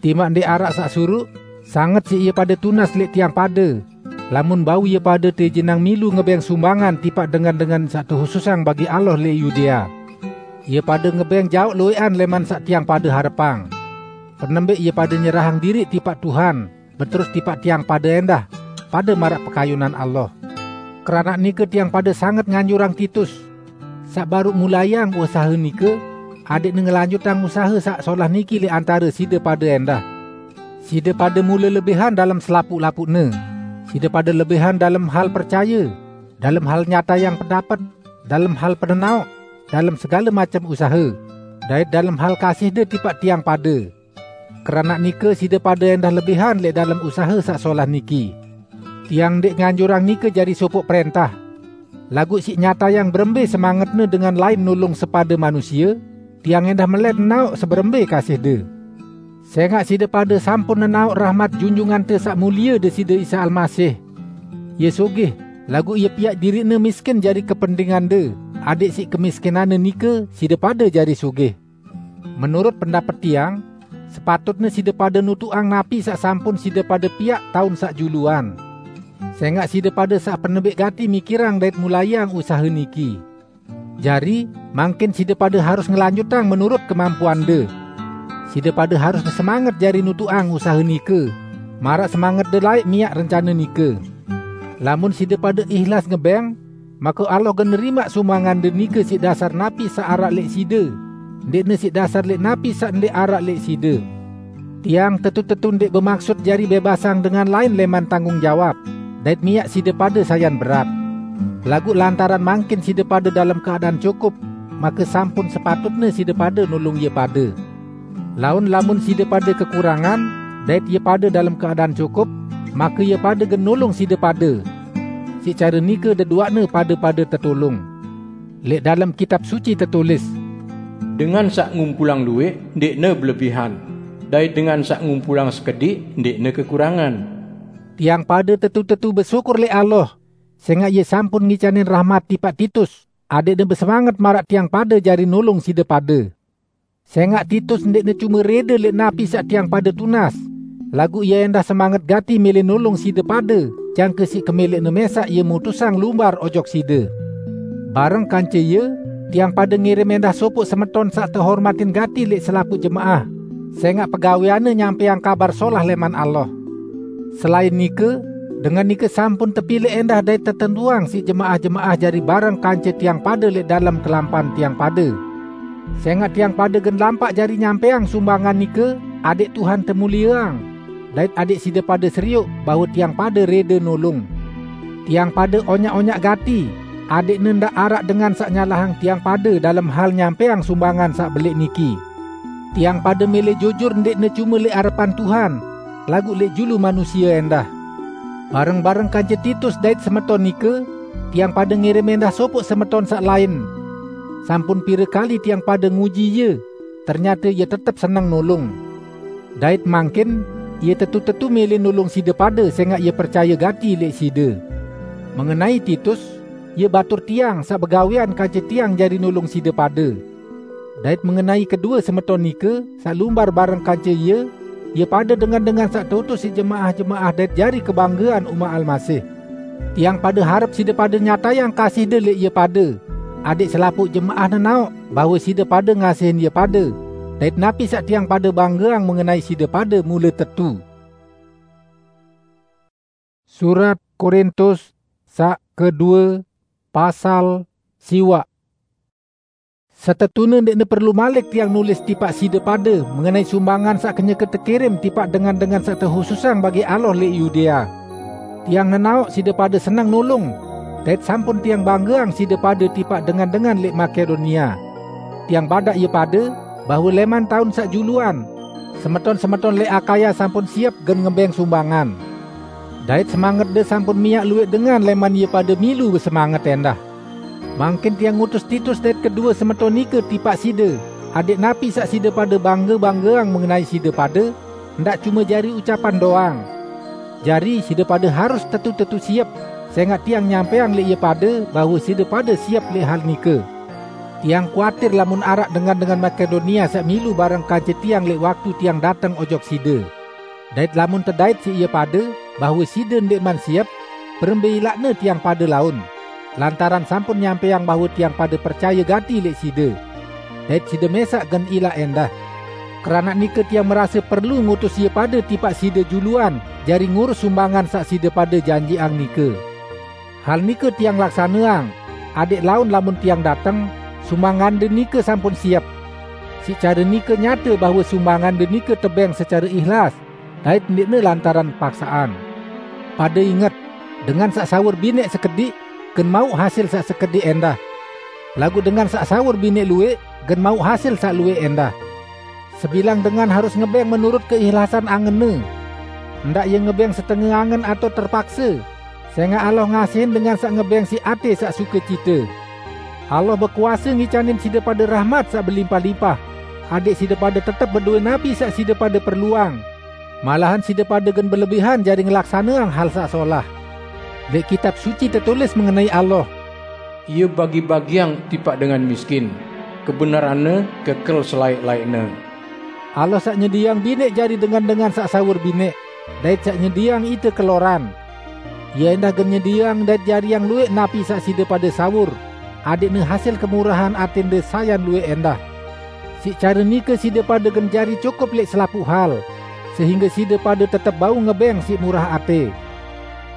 Timaq ndeq araq saq suruq, sanget siq ie pade tunas leq tiang pade, lamun bau ie pade teijinang milu ngebẽng sumbangan tipaq dengan-dengan saq tehususang bagi Allah leq Yudea. Ie pade ngebẽng jaoq lueqan leman saq tiang pade harepang. Penembẽq ie pade nyerahang diriq tipaq Tuhan, beterus tipaq tiang pade endah, pade maraq pekayunan Allah. Keranaq nike tiang pade sanget nganjurang Titus, saq baruq mulaiang usahe nike, adẽqne ngelanjutang usahe saq solah niki leq antare side pade endah. Side pade mule lebihan dalem selapuq-lapuqne. Side pade lebihan dalem hal percaye, dalem hal nyatayang pendapet, dalem hal penenaoq, dalem segale macem usahe, dait dalem hal kasihde tipaq tiang pade. Keranaq nike side pade endah lebihan leq dalem usahe saq solah niki. Tiang ndeq nganjurang nike jari sopoq prẽntah. Laguq siq nyatayang berembe semangetne dengan lain nulung sepade manusie, tiang endah melẽt nenaoq seberembe kasihde. Sẽngaq side pade sampun nenaoq rahmat Junjungante Saq Mulie Deside Isa Almasih. Ie sugih, laguq ie piaq diriqne miskin jari kependingande, adẽq siq kemiskinanne nike side pade jari sugih. Menurut pendapet tiang, sepatutne side pade nutuqang napi saq sampun side pade piaq taun saq juluan. Sẽngaq side pade saq penembẽq gati mikirang dait mulaiang usahe niki. Jari, mangkin side pade harus ngelanjutang menurut kemampuande. Side pade harus besemanget jari nutuqang usahe nike, maraq semangette laeq miaq rencane nike. Lamun side pade ihlas ngebẽng, make Allah gen nerimaq sumbangande nike siq dasar napi saq araq leq side, ndeqne siq dasar leq napi saq ndeq araq leq side. Tiang tetu-tetu ndeq bemaksut jari bẽbasang dengan lain leman tanggung jawab, dait miaq side pade sayan berat. Laguq lantaran mangkin side pade dalem keadaan cukup, make sampun sepatutne side pade nulung ie pade. Laun lamun side pade kekurangan, dait ie pade dalem keadaan cukup, make ie pade gen nulung side pade. Siq care nike deduaqne pade-pade tetulung. Leq dalem Kitab Suci tetulis, "Dengan saq ngumpulang luwẽq ndẽqne belebihan, dait dengan saq ngumpulang sekediq ndẽqne kekurangan." Tiang pade tetu-tetu besyukur leq Allah, sẽngaq ie sampun ngicanin rahmat tipaq Titus, adẽqne besemanget maraq tiang pade jari nulung side pade. Sẽngaq Titus ndẽqne cume rede leq napi saq tiang pade tunas, laguq ie endah semanget gati mẽlẽ nulung side pade, jangke siq kemẽlẽqne mẽsaq ie mutusang lumbar ojok side. Bareng kance ie, tiang pade ngirim endah sopoq semeton saq tehormatin gati leq selapuq jemaah, sẽngaq pegawẽanne nyampẽang Kabar Solah lẽman Allah. Selain nike, dengan nike sampun tepilẽq endah dait tetentuang siq jemaah-jemaah jari bareng kance tiang pade leq dalem kelampan tiang pade. Sẽngaq tiang pade gen lampaq jari nyampẽang sumbangan nike, adẽq Tuhan temulieang, dait adẽq side pade serioq bahwe tiang pade rede nulung. Tiang pade onyaq-onyaq gati, adẽqne ndaq araq dengan saq nyalahang tiang pade dalem hal nyampẽang sumbangan saq belẽq niki. Tiang pada mele jujur ndeqne cume leq arepan Tuhan, laguq leq julu manusie endah. Bareng-bareng kance Titus dait semeton nike, tiang pada ngirim endah sopoq semeton saq lain. Sampun pire kali tiang pada nguji ie, ternyate ie tetep seneng nulung. Dait mangkin, ie tetu-tetu mele nulung side pade sengaq ie percaye gati leq side. Mengenai Titus, ie batur tiang saq begawean kance tiang jari nulung side pade. Dait mengenai kedue semeton nike, saq lumbar bareng kance ie, ie pade dengan-dengan saq teutus siq jemaah-jemaah dait jari kebanggean umat Almasih. Tiang pade harep side pade nyatayang kasihde leq ie pade, adeq selapuq jemaah nenaoq bahwe side pade ngasihin ie pade, dait napi saq tiang pade banggeang mengenai side pade mule tetu. Surat Korintus saq kedue, pasal siwaq. Setetune ndeqne perlu malik tiang nulis tipaq side pade mengenai sumbangan saq kenyeke tekirim tipaq dengan-dengan saq tehususang bagi Allah leq Yudea. Tiang nenaoq side pade seneng nulung, dait sampun tiang banggeang side pade tipaq dengan-dengan leq Makedonia. Tiang badaq ie pade bahwe leman taun saq juluan, semeton-semeton leq Akaya sampun siep gen ngebeng sumbangan. Dait semangerde sampun miaq lueq dengan leman ie pade milu besemanget endah. Mangkin tiang ngutus Titus dait kedue semeton nike tipaq side, adeq napi saq side pade bangge-banggeang mengenai side pade, ndaq cume jari ucapan doang. Jari, side pade harus tetu-tetu siep, sengaq tiang nyampeang leq ie pade bahwe side pade siep leq hal nike. Tiang kuatir lamun araq dengan-dengan Makedonia saq milu bareng kance tiang leq waktu tiang dateng ojok side. Dait lamun tedait siq ie pade bahwe side ndeqman siep, berembe ilaqne tiang pade laun, lantaran sampun nyampeang bahwe tiang pade percaye gati leq side. Dait side mesaq gen ilaq endah. Keranaq nike tiang merase perlu ngutus ie pade tipaq side juluan jari ngurus sumbangan saq side pade janjiqang nike. Hal nike tiang laksaneang, adeq laun lamun tiang dateng, sumbangande nike sampun siep. Siq care nike nyate bahwe sumbangande nike tebeng secare ihlas, dait ndeqne lantaran paksaan. Pade inget, dengan saq sawur bineq sekediq, gen mauq hasil saq sekediq endah. Laguq dengan saq sawur bineq lueq, gen mauq hasil saq lueq endah. Sebilang dengan harus ngebeng menurut keihlasan angenne. Ndaq ie ngebeng setenge angen atao terpakse, sengaq Allah ngasihin dengan saq ngebeng siq ate saq sukecite. Allah bekuase ngicanin side pade rahmat saq belimpah-limpah, adeq side pade tetep bedowe napi saq side pade perluang. Malahan side pade gen belebihan jari ngelaksaneang hal saq solah. Leq Kitab Suci tetulis mengenai Allah, "Ie bagi-bagiang tipaq dengan miskin, kebenaranne kekel selaeq-laeqne." Allah saq nyedieang bineq jari dengan-dengan saq sawur bineq, dait saq nyedieang ite keloran. Ie endah gen nyedieang dait jariang lueq napi saq side pade sawur, adeqne hasil kemurahan atende sayan lueq endah. Siq care nike side pade gen jari cukup leq selapuq hal, sehingge side pade tetep bau ngebeng siq murah ate.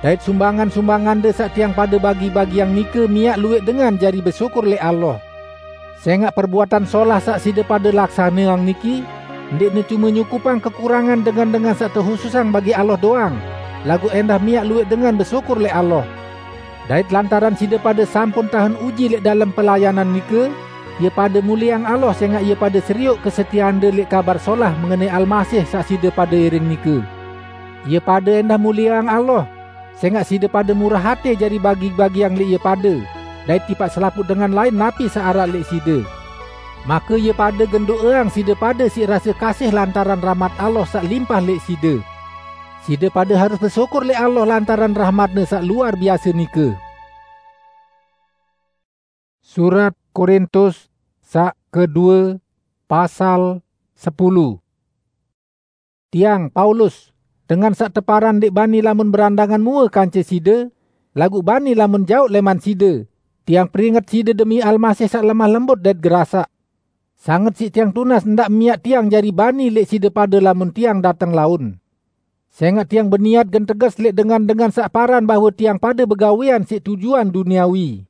Dait sumbangan-sumbangande saq tiang pade bagi-bagiang nike miaq lueq dengan jari besyukur leq Allah. Sengaq perbuatan solah saq side pade laksaneang niki ndeqne cume nyukupang kekurangan dengan-dengan saq tehususang bagi Allah doang, laguq endah miaq lueq dengan besyukur leq Allah. Dait lantaran side pade sampun tahen uji leq dalem pelayanan nike, ie pade mulieang Allah sengaq ie pade serioq kesetieande leq Kabar Solah mengenai Almasih saq side pade iring nike. Ie pade endah mulieang Allah, sengaq side pade murah ate jari bagi-bagiang leq ie pade, dait tipaq selapuq dengan lain napi saq araq leq side. Make ie pade gen do'eang side pade siq rase kasih lantaran rahmat Allah saq limpah leq side. Side pade harus besyukur leq Allah lantaran rahmat-Ne saq luar biase nike. Surat Korintus saq kedue, pasal sepulu. Tiang, Paulus, dengan saq teparan ndeq bani lamun berandangan muwe kance side, laguq bani lamun jaoq leman side, tiang peringet side demi Almasih saq lemah lembut dait gerasaq. Sanget siq tiang tunas ndaq miaq tiang jari bani leq side pade lamun tiang dateng laun. Sengaq tiang beniat gen teges leq dengan-dengan saq paran bahwe tiang pade begawean siq tujuan duniawi.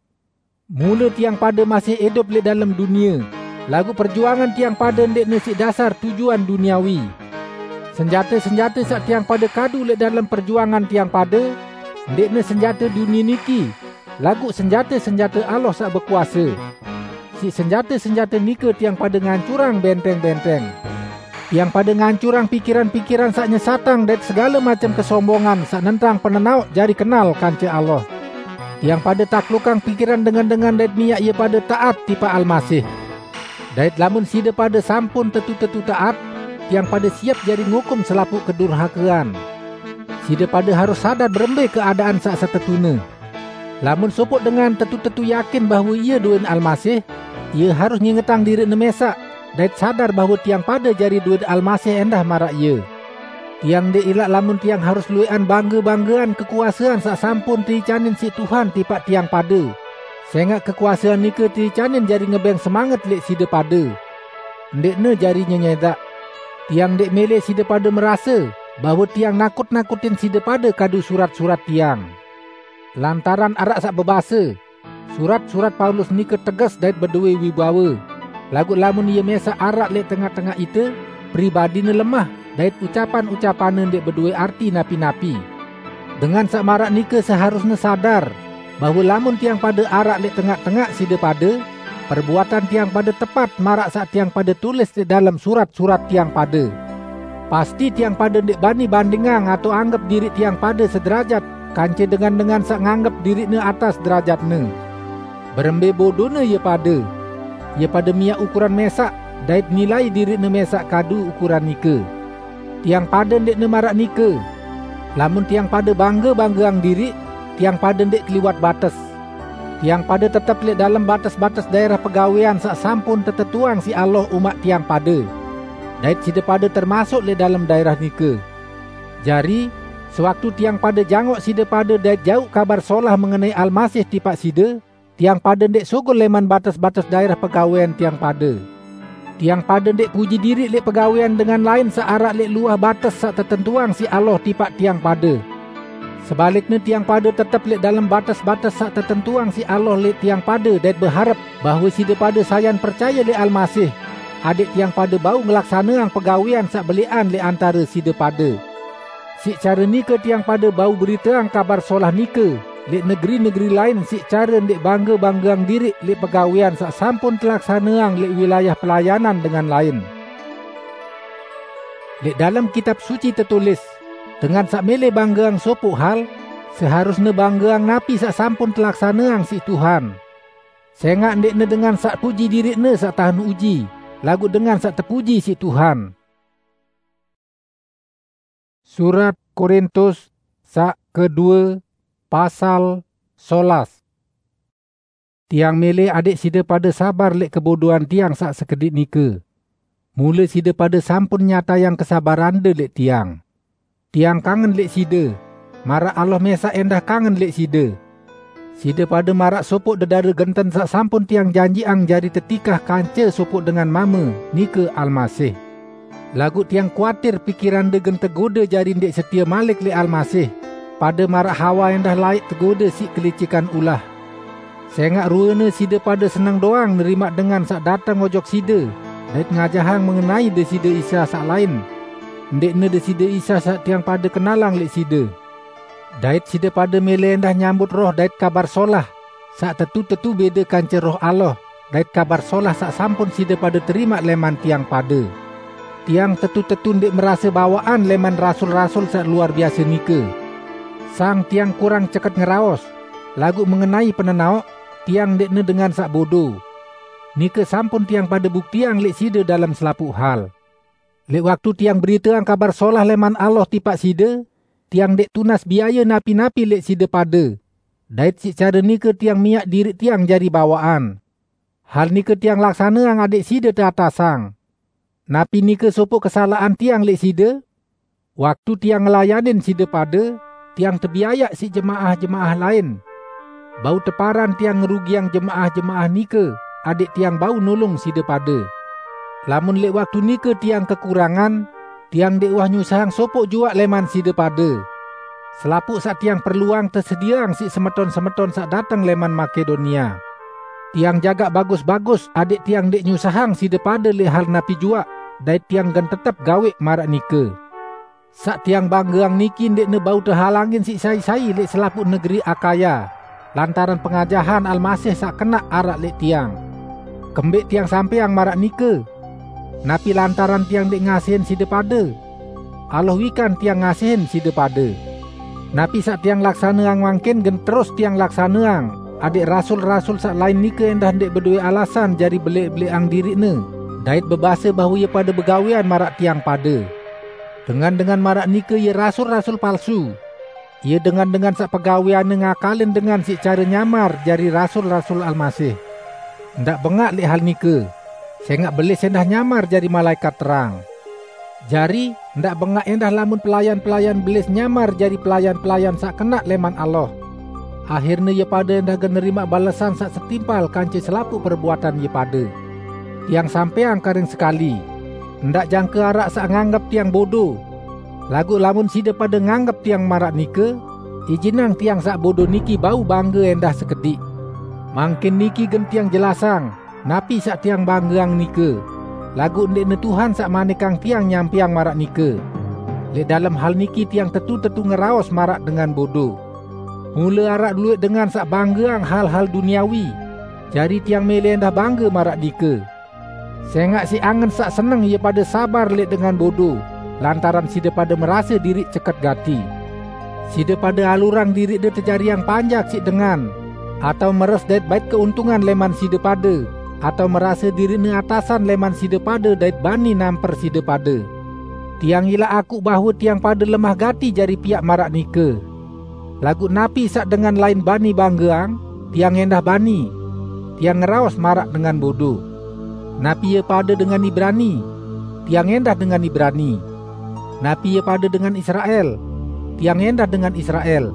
Mule tiang pade masih idup leq dalem dunie, laguq perjuangan tiang pade ndeqne siq dasar tujuan duniawi. Senjate-senjate saq tiang pade kadu leq dalem perjuangan tiang pade, ndeqne senjate dunie niki, laguq senjate-senjate Allah saq bekuase. Siq senjate-senjate nike tiang pade ngancurang benteng-benteng. Tiang pada ngancurang pikiran-pikiran saq nyesatang dait segale macem kesombongan saq nentang penenaoq jari kenal kance Allah. Tiang pada taklukang pikiran dengan-dengan dait miaq ie pade taat tipaq Almasih. Dait lamun side pade sampun tetu-tetu taat, tiang pada siep jari ngukum selapuq kedurhakean. Side pade harus sadar berembe keadaan saq setetune. Lamun sopoq dengan tetu-tetu yakin bahwe ie duen Almasih, ie harus ngingetang diriqne mesaq, dait sadar bahwe tiang pade jari duen Almasih endah maraq ie. Tiang ndeq ilaq lamun tiang harus lueqan bangge-banggean kekuasean saq sampun teicanin siq Tuhan tipaq tiang pade, sengaq kekuasean nike teicanin jari ngebeng semanget leq side pade. Ndeqne jari nyenyedaq. Tiang ndeq mele side pade merase bahwe tiang nakut-nakutin side pade kadu surat-surat tiang. Lantaran araq saq bebase, "Surat-surat Paulus nike teges dait bedoe wibawe, laguq lamun ie mesaq araq leq tengaq-tengaq ite, pribadine lemah dait ucapan-ucapanne ndeq bedoe arti napi-napi." Dengan saq maraq nike seharusne sadar bahwe lamun tiang pade araq leq tengaq-tengaq side pade, perbuatan tiang pade tepat maraq saq tiang pade tulis leq dalem surat-surat tiang pade. Pasti tiang pade ndeq bani bandingang atao anggep diriq tiang pade sederajat kance dengan-dengan saq nganggep diriqne atas derajatne. Berembe bodone ie pade! Ie pade miaq ukuran mesaq dait nilai diriqne mesaq kadu ukuran nike. Tiang pade ndeqne maraq nike. Lamun tiang pade bangge-banggeang diriq, tiang pade ndeq keliwat bates. Tiang pade tetep leq dalem bates-bates daerah pegawean saq sampun tetetuang siq Allah umaq tiang pade. Dait side pade termasuk leq dalem daerah nike. Jari, sewaktu tiang pade jangok side pade dait jauq Kabar Solah mengenai Almasih tipaq side, tiang pade ndeq sugul leman bates-bates daerah pegawean tiang pade. Tiang pade ndeq puji diriq leq pegawean dengan lain saq araq leq luah bates saq tetentuang siq Allah tipaq tiang pade. Sebalikne, tiang pade tetep leq dalem bates-bates saq tetentuang siq Allah leq tiang pade dait beharep bahwe side pade sayan percaye leq Almasih, adẽq tiang pade bau ngelaksaneang pegawean saq belẽqan leq antare side pade. Siq care nike tiang pade bau beriteang Kabar Solah nike leq negeri-negeri lain siq care ndeq bangge-banggeang diriq leq pegawean saq sampun telaksaneang leq wilayah pelayanan dengan lain. Leq dalem Kitab Suci tetulis, "Dengan saq mele banggeang sopoq hal, seharusne banggeang napi saq sampun telaksaneang siq Tuhan. Sengaq ndeqne dengan saq puji diriqne saq tahen uji, laguq dengan saq tepuji siq Tuhan." Surat Korintus saq kedue, pasal solas. Tiang mele adẽq side pade sabar leq kebodoan tiang saq sekediq nike. Mule side pade sampun nyatayang kesabarande leq tiang. Tiang kangen leq side, maraq Allah mesaq endah kangen leq side. Side pade maraq sopoq dedare genten saq sampun tiang janjiqang jari tetikah kance sopoq dengan mame, nike Almasih. Laguq tiang kuatir pikirande gen tegode jari ndeq setie malik leq Almasih, pade maraq Hawa endah laeq tegode siq kelicikan ulah. Sengaq ruene side pade seneng doang nerimaq dengan saq dateng ojok side dait ngajahang mengenai Deside Isa saq lain, ndeqne Deside Isa saq tiang pade kenalang leq side. Dait side pade mele endah nyambut roh dait Kabar Solah, saq tetu-tetu bede kance Roh Allah dait Kabar Solah saq sampun side pade terimaq leman tiang pade. Tiang tetu-tetu ndeq merase bawaqan leman rasul-rasul saq luar biase nike. Sang tiang kurang ceket ngeraos, laguq mengenai penenaoq, tiang ndeqne dengan saq bodo. Nike sampun tiang pade buktiang leq side dalem selapuq hal. Leq waktu tiang beriteang Kabar Solah leman Allah tipaq side, tiang ndeq tunas biaye napi-napi leq side pade, dait siq care nike tiang miaq diriq tiang jari bawaqan. Hal nike tiang laksaneang adẽq side teatasang. Napi nike sopoq kesalaqan tiang leq side? Waktu tiang ngelayanin side pade, tiang tebiayaq siq jemaah-jemaah lain. Bau teparan tiang ngerugiang jemaah-jemaah nike, adẽq tiang bau nulung side pade. Lamun leq waktu nike tiang kekurangan, tiang ndeq uwah nyusahang sopoq juaq leman side pade. Selapuq saq tiang perluang tesedieang siq semeton-semeton saq dateng leman Makedonia. Tiang jagaq bagus-bagus adẽq tiang ndeq nyusahang side pade leq hal napi juaq, dait tiang gen tetep gaweq maraq nike. Saq tiang banggeang niki ndeqne bau tehalangin siq sai-sai leq selapuq negeri Akaya, lantaran pengajahan Almasih saq kenaq araq leq tiang. Kembeq tiang sampeang maraq nike? Napi lantaran tiang ndék ngasihin side pade? Allah wikan tiang ngasihin side pade. Napi saq tiang laksaneang mangkin gen terus tiang laksaneang, adéq rasul-rasul saq lain nike éndah ndéq bedowé alasan jari belẽq-belẽqang diriqne, dait bebase bahwe ie pade begawéan maraq tiang pade. Dengan-dengan maraq nike ie rasul-rasul palsu. Ie dengan-dengan saq pegawéanne ngakalin dengan siq care nyamar jari rasul-rasul Almasih. Ndaq bengaq lẽq hal nike, sẽngaq belis éndah nyamar jari malaẽkat terang. Jari, ndaq bengaq éndah lamun pelayan-pelayan belis nyamar jari pelayan-pelayan saq kenaq lẽman Allah. Ahirne ie pade éndah gen nerimaq balesan saq setimpal kance selapuq perbuatan ie pade. Tiang sampẽang karing sekali, ndaq jangke araq saq nganggep tiang bodo. Laguq lamun side pade nganggep tiang maraq nike, ijinang tiang saq bodo niki bau bangge éndah sekediq. Mangkin niki gen tiang jelasang, napi saq tiang banggeang nike, laguq ndẽqne Tuhan saq manikang tiang nyampẽang maraq nike. Lẽq dalem hal niki tiang tetu-tetu ngeraos maraq dengan bodo. Mule araq luwẽq dengan saq banggeang hal-hal duniawi, jari tiang mẽlẽ éndah bangge maraq nike. Sẽngaq siq angen saq seneng ie pade sabar lẽq dengan bodo, lantaran side pade merase diriq ceket gati. Side pade alurang diriqde tejariang panjak siq dengan, atao meres dait bait keuntungan lẽman side pade, atao merase diriqne atasan lẽman side pade dait bani namper side pade. Tiang ilaq akuq bahwe tiang pade lemah gati jari piaq maraq nike. Laguq napi saq dengan lain bani banggeang, tiang éndah bani. Tiang ngeraos maraq dengan bodo. Napi ie pade dengan Ibrani, tiang éndah dengan Ibrani. Napi ie pade dengan Israel, tiang éndah dengan Israel.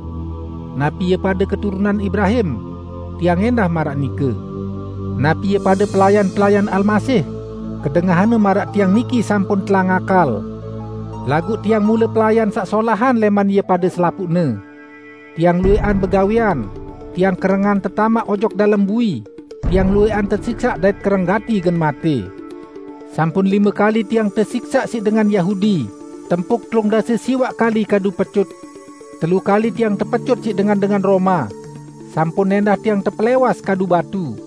Napi ie pade keturunan Ibrahim, tiang éndah maraq nike. Napi ie pade pelayan-pelayan Almasih, kedengahanne maraq tiang niki sampun telang akal. Laguq tiang mule pelayan saq solahan lẽman ie pade selapuqne. Tiang luwẽqan begawẽan, tiang kerengan tetamaq ojok dalem bui, tiang luwẽqan tesiksaq dait kereng gati gen matẽ. Sampun lime kali tiang tesiksaq siq dengan Yahudi, tempuk telung dase siwaq kali kadu pecut. Telu kali tiang tepecut siq dengan-dengan Roma. Sampun éndah tiang tepelẽwas kadu batu.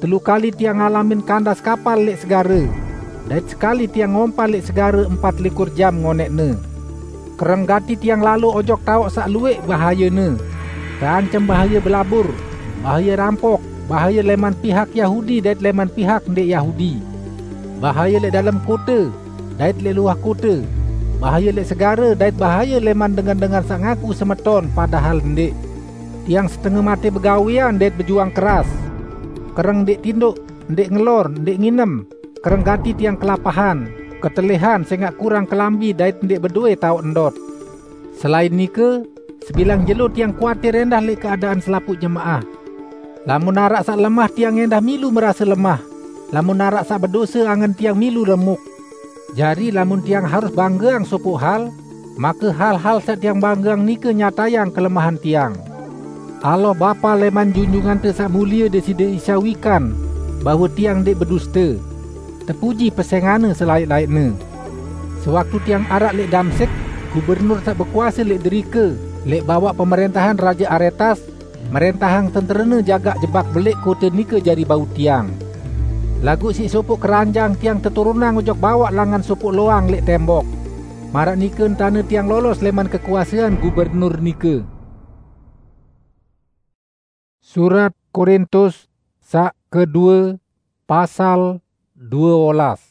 Telu kali tiang ngalamin kandas kapal lẽq segare, dait sekali tiang ngompal lẽq segare empat likur jam ngonẽqne. Kereng gati tiang lalo ojok taoq saq luwẽq bahayene. Teancem bahaye belabur, bahaye rampok, bahaye lẽman pihak Yahudi dait lẽman pihak ndẽq Yahudi, bahaye lẽq dalem kote dait lẽq luah kote, bahaye lẽq segare dait bahaye lẽman dengan-dengan saq ngaku semeton padahal ndẽq. Tiang setenge matẽ begawẽan dait bejuang keras. Kereng ndẽq tindoq, ndẽq ngelor, ndẽq nginem. Kereng gati tiang kelapahan, ketelihan sẽngaq kurang kelambi dait ndẽq bedowẽ taoq ndot. Selain nike, sebilang jelo tiang kuatir éndah lẽq keadaan selapuq jemaah. Lamun araq saq lemah, tiang éndah milu merase lemah. Lamun araq saq bedose, angen tiang milu remuk. Jari, lamun tiang harus banggeang sopoq hal, make hal-hal saq tiang banggeang nike nyatayang kelemahan tiang. Allah, Bapa lẽman Junjungante Saq Mulie Deside Isa wikan bahwe tiang ndẽq beduste. Tepuji pesẽngan-Ne selaẽq-laẽqne. Sewaktu tiang araq lẽq Damsyik, gubernur saq bekuase lẽq derike, lẽq bawaq pemrẽntahan Raje Aretas, mrẽntahang tenterene jagaq jebak belẽq kote nike jari bau tiang. Laguq siq sopoq keranjang tiang teturunang ojok bawaq langan sopoq loang lẽq tembok. Maraq nike entane tiang lolos lẽman kekuasean gubernur nike. Surat Korintus saq kedue, pasal due olas.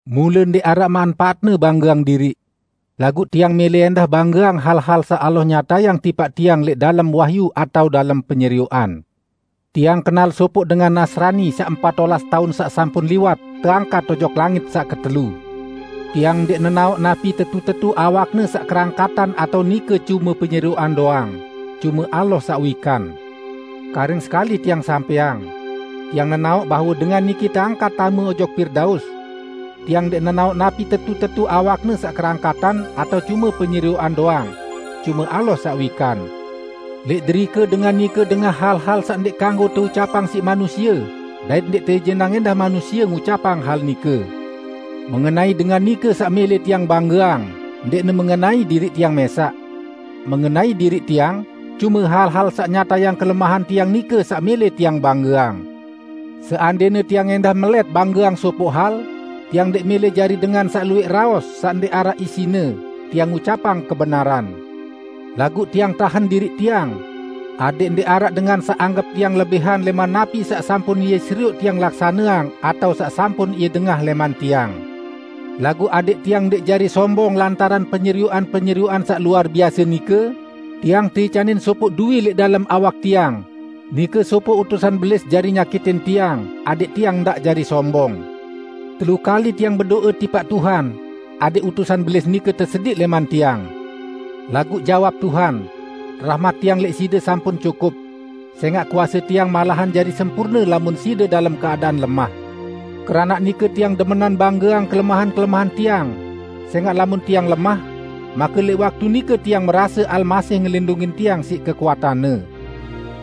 Mule ndẽq araq manpaatne banggeang diriq. Laguq tiang mẽlẽ endah banggeang hal-hal saq Allah nyatayang tipaq tiang lẽq dalem wahyu atao dalem penyerioqan. Tiang kenal sopoq dengan Nasrani saq empat olas taun saq sampun liwat teangkat ojok langit saq ketelu. Tiang ndẽq nenaoq napi tetu-tetu awakne saq kerangkatan atao nike cume penyerioqan doang, cume Allah saq wikan. Karing sekali tiang sampẽang, tiang nenaoq bahwe dengan niki teangkat tame ojok Pirdaus. Tiang ndẽq nenaoq napi tetu-tetu awakne saq kerangkatan atao cume penyerioqan doang, cume Allah saq wikan. Lẽq derike dengan nike dengah hal-hal saq ndẽq kanggo teucapang siq manusie, dait ndẽq teijinang endah manusie ngucapang hal nike. Mengenai dengan nike saq mẽlẽ tiang banggeang, ndẽqne mengenai diriq tiang mẽsaq. Mengenai diriq tiang, cume hal-hal saq nyatayang kelemahan tiang nike saq mẽlẽ tiang banggeang. Seandene tiang endah melet banggeang sopoq hal, tiang ndeq mele jari dengan saq lueq raos saq ndeq araq isine, tiang ngucapang kebenaran. Laguq tiang tahen diriq tiang, adeq ndeq araq dengan saq anggep tiang lebihan leman napi saq sampun ie serioq tiang laksaneang atao saq sampun ie dengah leman tiang. Laguq adeq tiang ndeq jari sombong lantaran penyerioqan-penyerioqan saq luar biase nike, tiang teicanin sopoq dui leq dalem awak tiang, nike sopoq utusan belis jari nyakitin tiang, adeq tiang ndaq jari sombong. Telu kali tiang bedoe tipaq Tuhan, adeq utusan belis nike tesediq leman tiang. Laguq jawab Tuhan, "Rahmat tiang leq side sampun cukup, sengaq kuase tiang malahan jari sempurne lamun side dalem keadaan lemah. Keranaq nike tiang demenan banggeang kelemahan-kelemahan tiang, sengaq lamun tiang lemah, make leq waktu nike tiang merase Almasih ngelindungin tiang siq kekuatanne.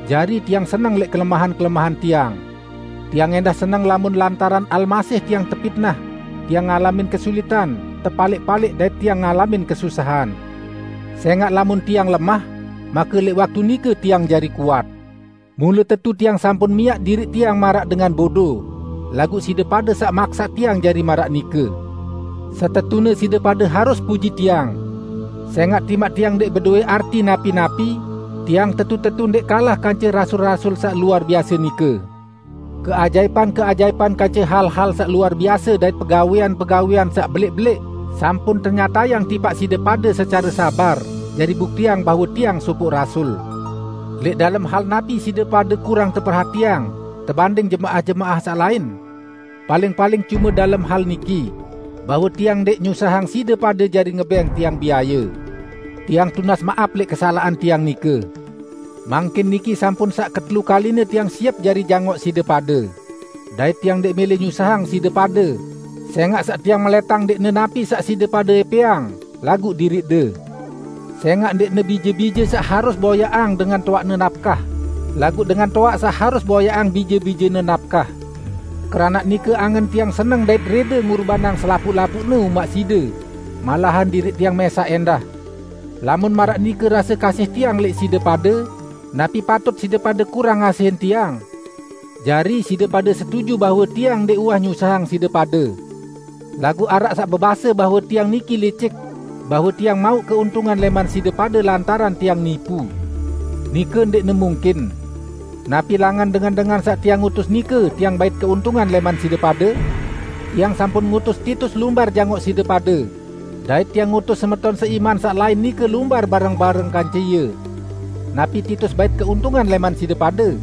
Jari tiang seneng leq kelemahan-kelemahan tiang. Tiang endah seneng lamun lantaran Almasih tiang tepitnah, tiang ngalamin kesulitan, tepaleq-paleq dait tiang ngalamin kesusahan. Sengaq lamun tiang lemah, make leq waktu nike tiang jari kuat. Mule tetu tiang sampun miaq diriq tiang maraq dengan bodo, laguq side pade saq maksaq tiang jari maraq nike. Setetune side pade harus puji tiang. Sengaq timaq tiang ndeq bedoe arti napi-napi, tiang tetu-tetu ndeq kalah kance rasul-rasul saq luar biase nike. Keajaipan-keajaipan kance hal-hal saq luar biase dait pegawean-pegawean saq beleq-beleq sampun tenyatayang tipaq side pade secare sabar, jari buktiang bahwe tiang sopoq rasul. Leq dalem hal napi side pade kurang teperhatiang tebanding jemaah-jemaah saq lain? Paling-paling cume dalem hal niki, bahwe tiang ndeq nyusahang side pade jari ngebeng tiang biaye. Tiang tunas maap leq kesalaqan tiang nike. Mangkin niki sampun saq ketelu kaline tiang siep jari jangoq side pade. Dait tiang ndeq mele nyusahang side pade, sengaq saq tiang meletang ndeqne napi saq side pade epeang, laguq diriqde. Sengaq ndeqne bije-bije saq harus boyaqang dengan toaqne napkah, laguq dengan toaq saq harus boyaqang bije-bijene napkah. Keranaq nike angen tiang seneng dait rede ngurbanang selapuq-lapuqne umaq side, malahan diriq tiang mesaq endah. Lamun maraq nike rase kasih tiang leq side pade, napi patut side pade kurang ngasihin tiang? Jari side pade setuju bahwe tiang ndeq uwah nyusahang side pade. Laguq araq saq bebase bahwe tiang niki licik, bahwe tiang mauq keuntungan leman side pade lantaran tiang nipu. Nike ndeqne mungkin. Napi langan dengan-dengan saq tiang utus nike tiang bait keuntungan leman side pade? Tiang sampun ngutus Titus lumbar jangoq side pade. Dait tiang ngutus semeton seiman saq lain nike lumbar bareng-bareng kance ie. Napi Titus bait keuntungan leman side pade?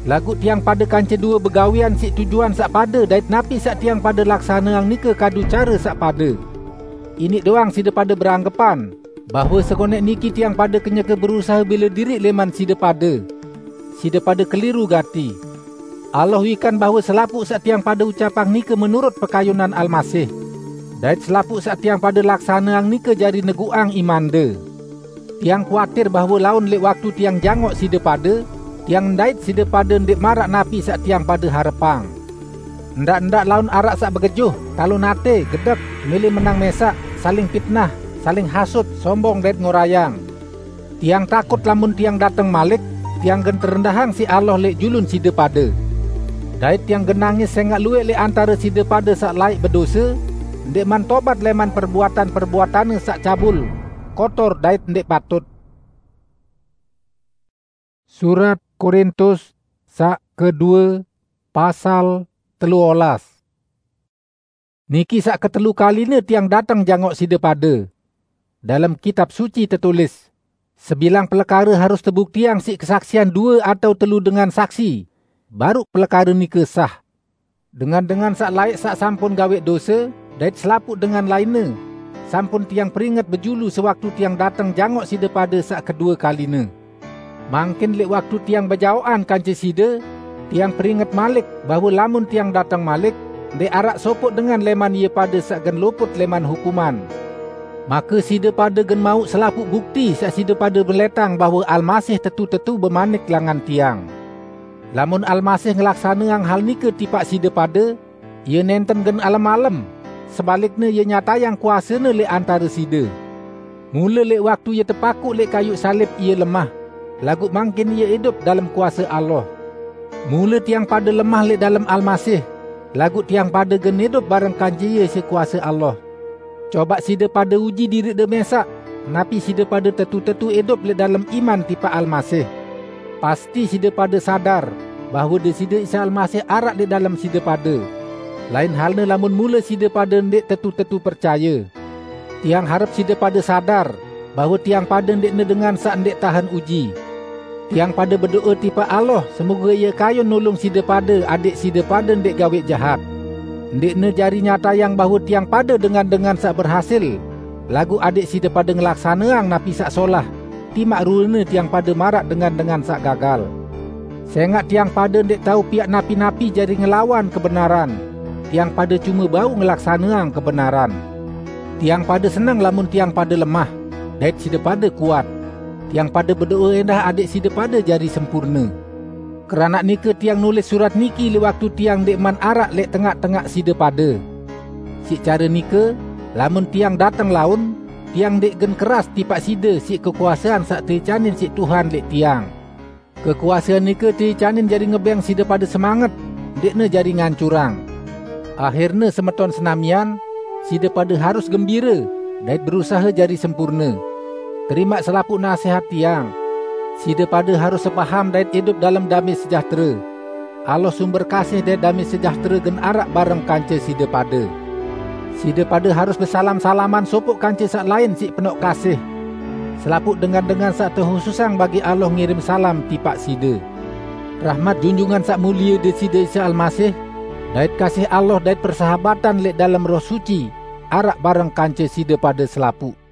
Laguq tiang pade kance due begawean siq tujuan saq pade dait napi saq tiang pade laksaneang nike kadu care saq pade. Iniq doang side pade beranggepan, bahwe sekoneq niki tiang pade kenyeke berusahe bele diriq leman side pade. Side pade keliru gati. Allah wikan bahwe selapuq saq tiang pade ucapang nike menurut pekayunan Almasih. Dait selapuq saq tiang pade laksaneang nike jari neguqang imande. Tiang kuatir bahwe laun leq waktu tiang jangoq side pade, tiang ndait side pade ndeq maraq napi saq tiang pade harepang. Ndaq-ndaq laun araq saq begejuh, talon ate, gedek, mele menang mesaq, saling pitnah, saling hasut, sombong dait ngorayang. Tiang takut lamun tiang dateng malik, tiang gen terendahang siq Allah leq julun side pade. Dait tiang gen nangis sengaq lueq leq antare side pade saq laeq bedose, ndeqman tobat leman perbuatan-perbuatanne saq cabul, kotor dait ndeq patut. Surat Korintus saq kedue, pasal telu olas. Niki saq ketelu kaline tiang dateng jangoq side pade. Dalem Kitab Suci tetulis, "Sebilang pelekare harus tebuktiang siq kesaksian due atau telu dengan saksi, baruq pelekare nike sah." Dengan-dengan saq laeq saq sampun gaweq dose, dait selapuq dengan lainne, sampun tiang peringet bejulu sewaktu tiang dateng jangoq side pade saq kedue kaline. Mangkin leq waktu tiang bejaoqan kance side, tiang peringet malik bahwe lamun tiang dateng malik, ndeq araq sopoq dengan leman ie pade saq gen luput leman hukuman. Make side pade gen mauq selapuq bukti saq side pade beletang bahwe Almasih tetu-tetu bemanik langan tiang. Lamun Almasih ngelaksaneang hal nike tipaq side pade, Ie nenten gen alem-alem, sebalikne Ie nyatayang kuase-Ne leq antare side. Mule leq waktu Ie tepakuq leq kayuq salib Ie lemah, laguq mangkin Ie idup dalem kuase Allah. Mula tiang pade lemah lẽq dalem Almasih, laguq tiang pade gen idup bareng kance Ie siq kuase Allah. Coba side pade uji diriqde mesaq, napi side pade tetu-tetu idup lẽq dalem iman tipaq Almasih. Pasti side pade sadar bahwe Deside Isa Almasih araq lẽq dalem side pade. Lain halne lamun mule side pade ndẽq tetu-tetu percaye. Tiang harep side pade sadar bahwe tiang pade ndẽqne dengan saq ndẽq tahen uji. Tiang pade bedo'e tipaq Allah, semoge Ie kayun nulung side pade adẽq side pade ndẽq gaweq jahat. Ndẽqne jari nyatayang bahwe tiang pade dengan-dengan saq berhasil, laguq adẽq side pade ngelaksaneang napi saq solah, timaq ruene tiang pade maraq dengan-dengan saq gagal. Sengaq tiang pade ndẽq tao piaq napi-napi jari ngelawan kebenaran, tiang pade cume bau ngelaksaneang kebenaran. Tiang pade seneng lamun tiang pade lemah, dait side pade kuat. Tiang pade bedo'e ẽndah adẽq side pade jari sempurne. Keranaq nike tiang nulis surat niki lẽq waktu tiang ndẽqman araq lẽq tengaq-tengaq side pade. Siq care nike, lamun tiang dateng laun, tiang ndẽq gen keras tipaq side siq kekuasean saq teicanin siq Tuhan lẽq tiang. Kekuasean nike teicanin jari ngebẽng side pade semanget, ndẽqne jari ngancurang. Ahirne semeton senamian, side pade harus gembire dait berusahe jari sempurne. Terimaq selapuq nasehat tiang. Side pade harus sepaham dait idup dalem damẽ sejahtere. Allah sumber kasih dait damẽ sejahtere gen araq bareng kance side pade. Side pade harus besalam-salaman sopoq kance saq lain siq penoq kasih. Selapuq dengan-dengan saq tehususang bagi Allah ngirim salam tipaq side. Rahmat Junjungan Saq Mulie Deside Isa Almasih, dait kasih Allah dait persahabatan lẽq dalem Roh Suci araq bareng kance side pade selapuq.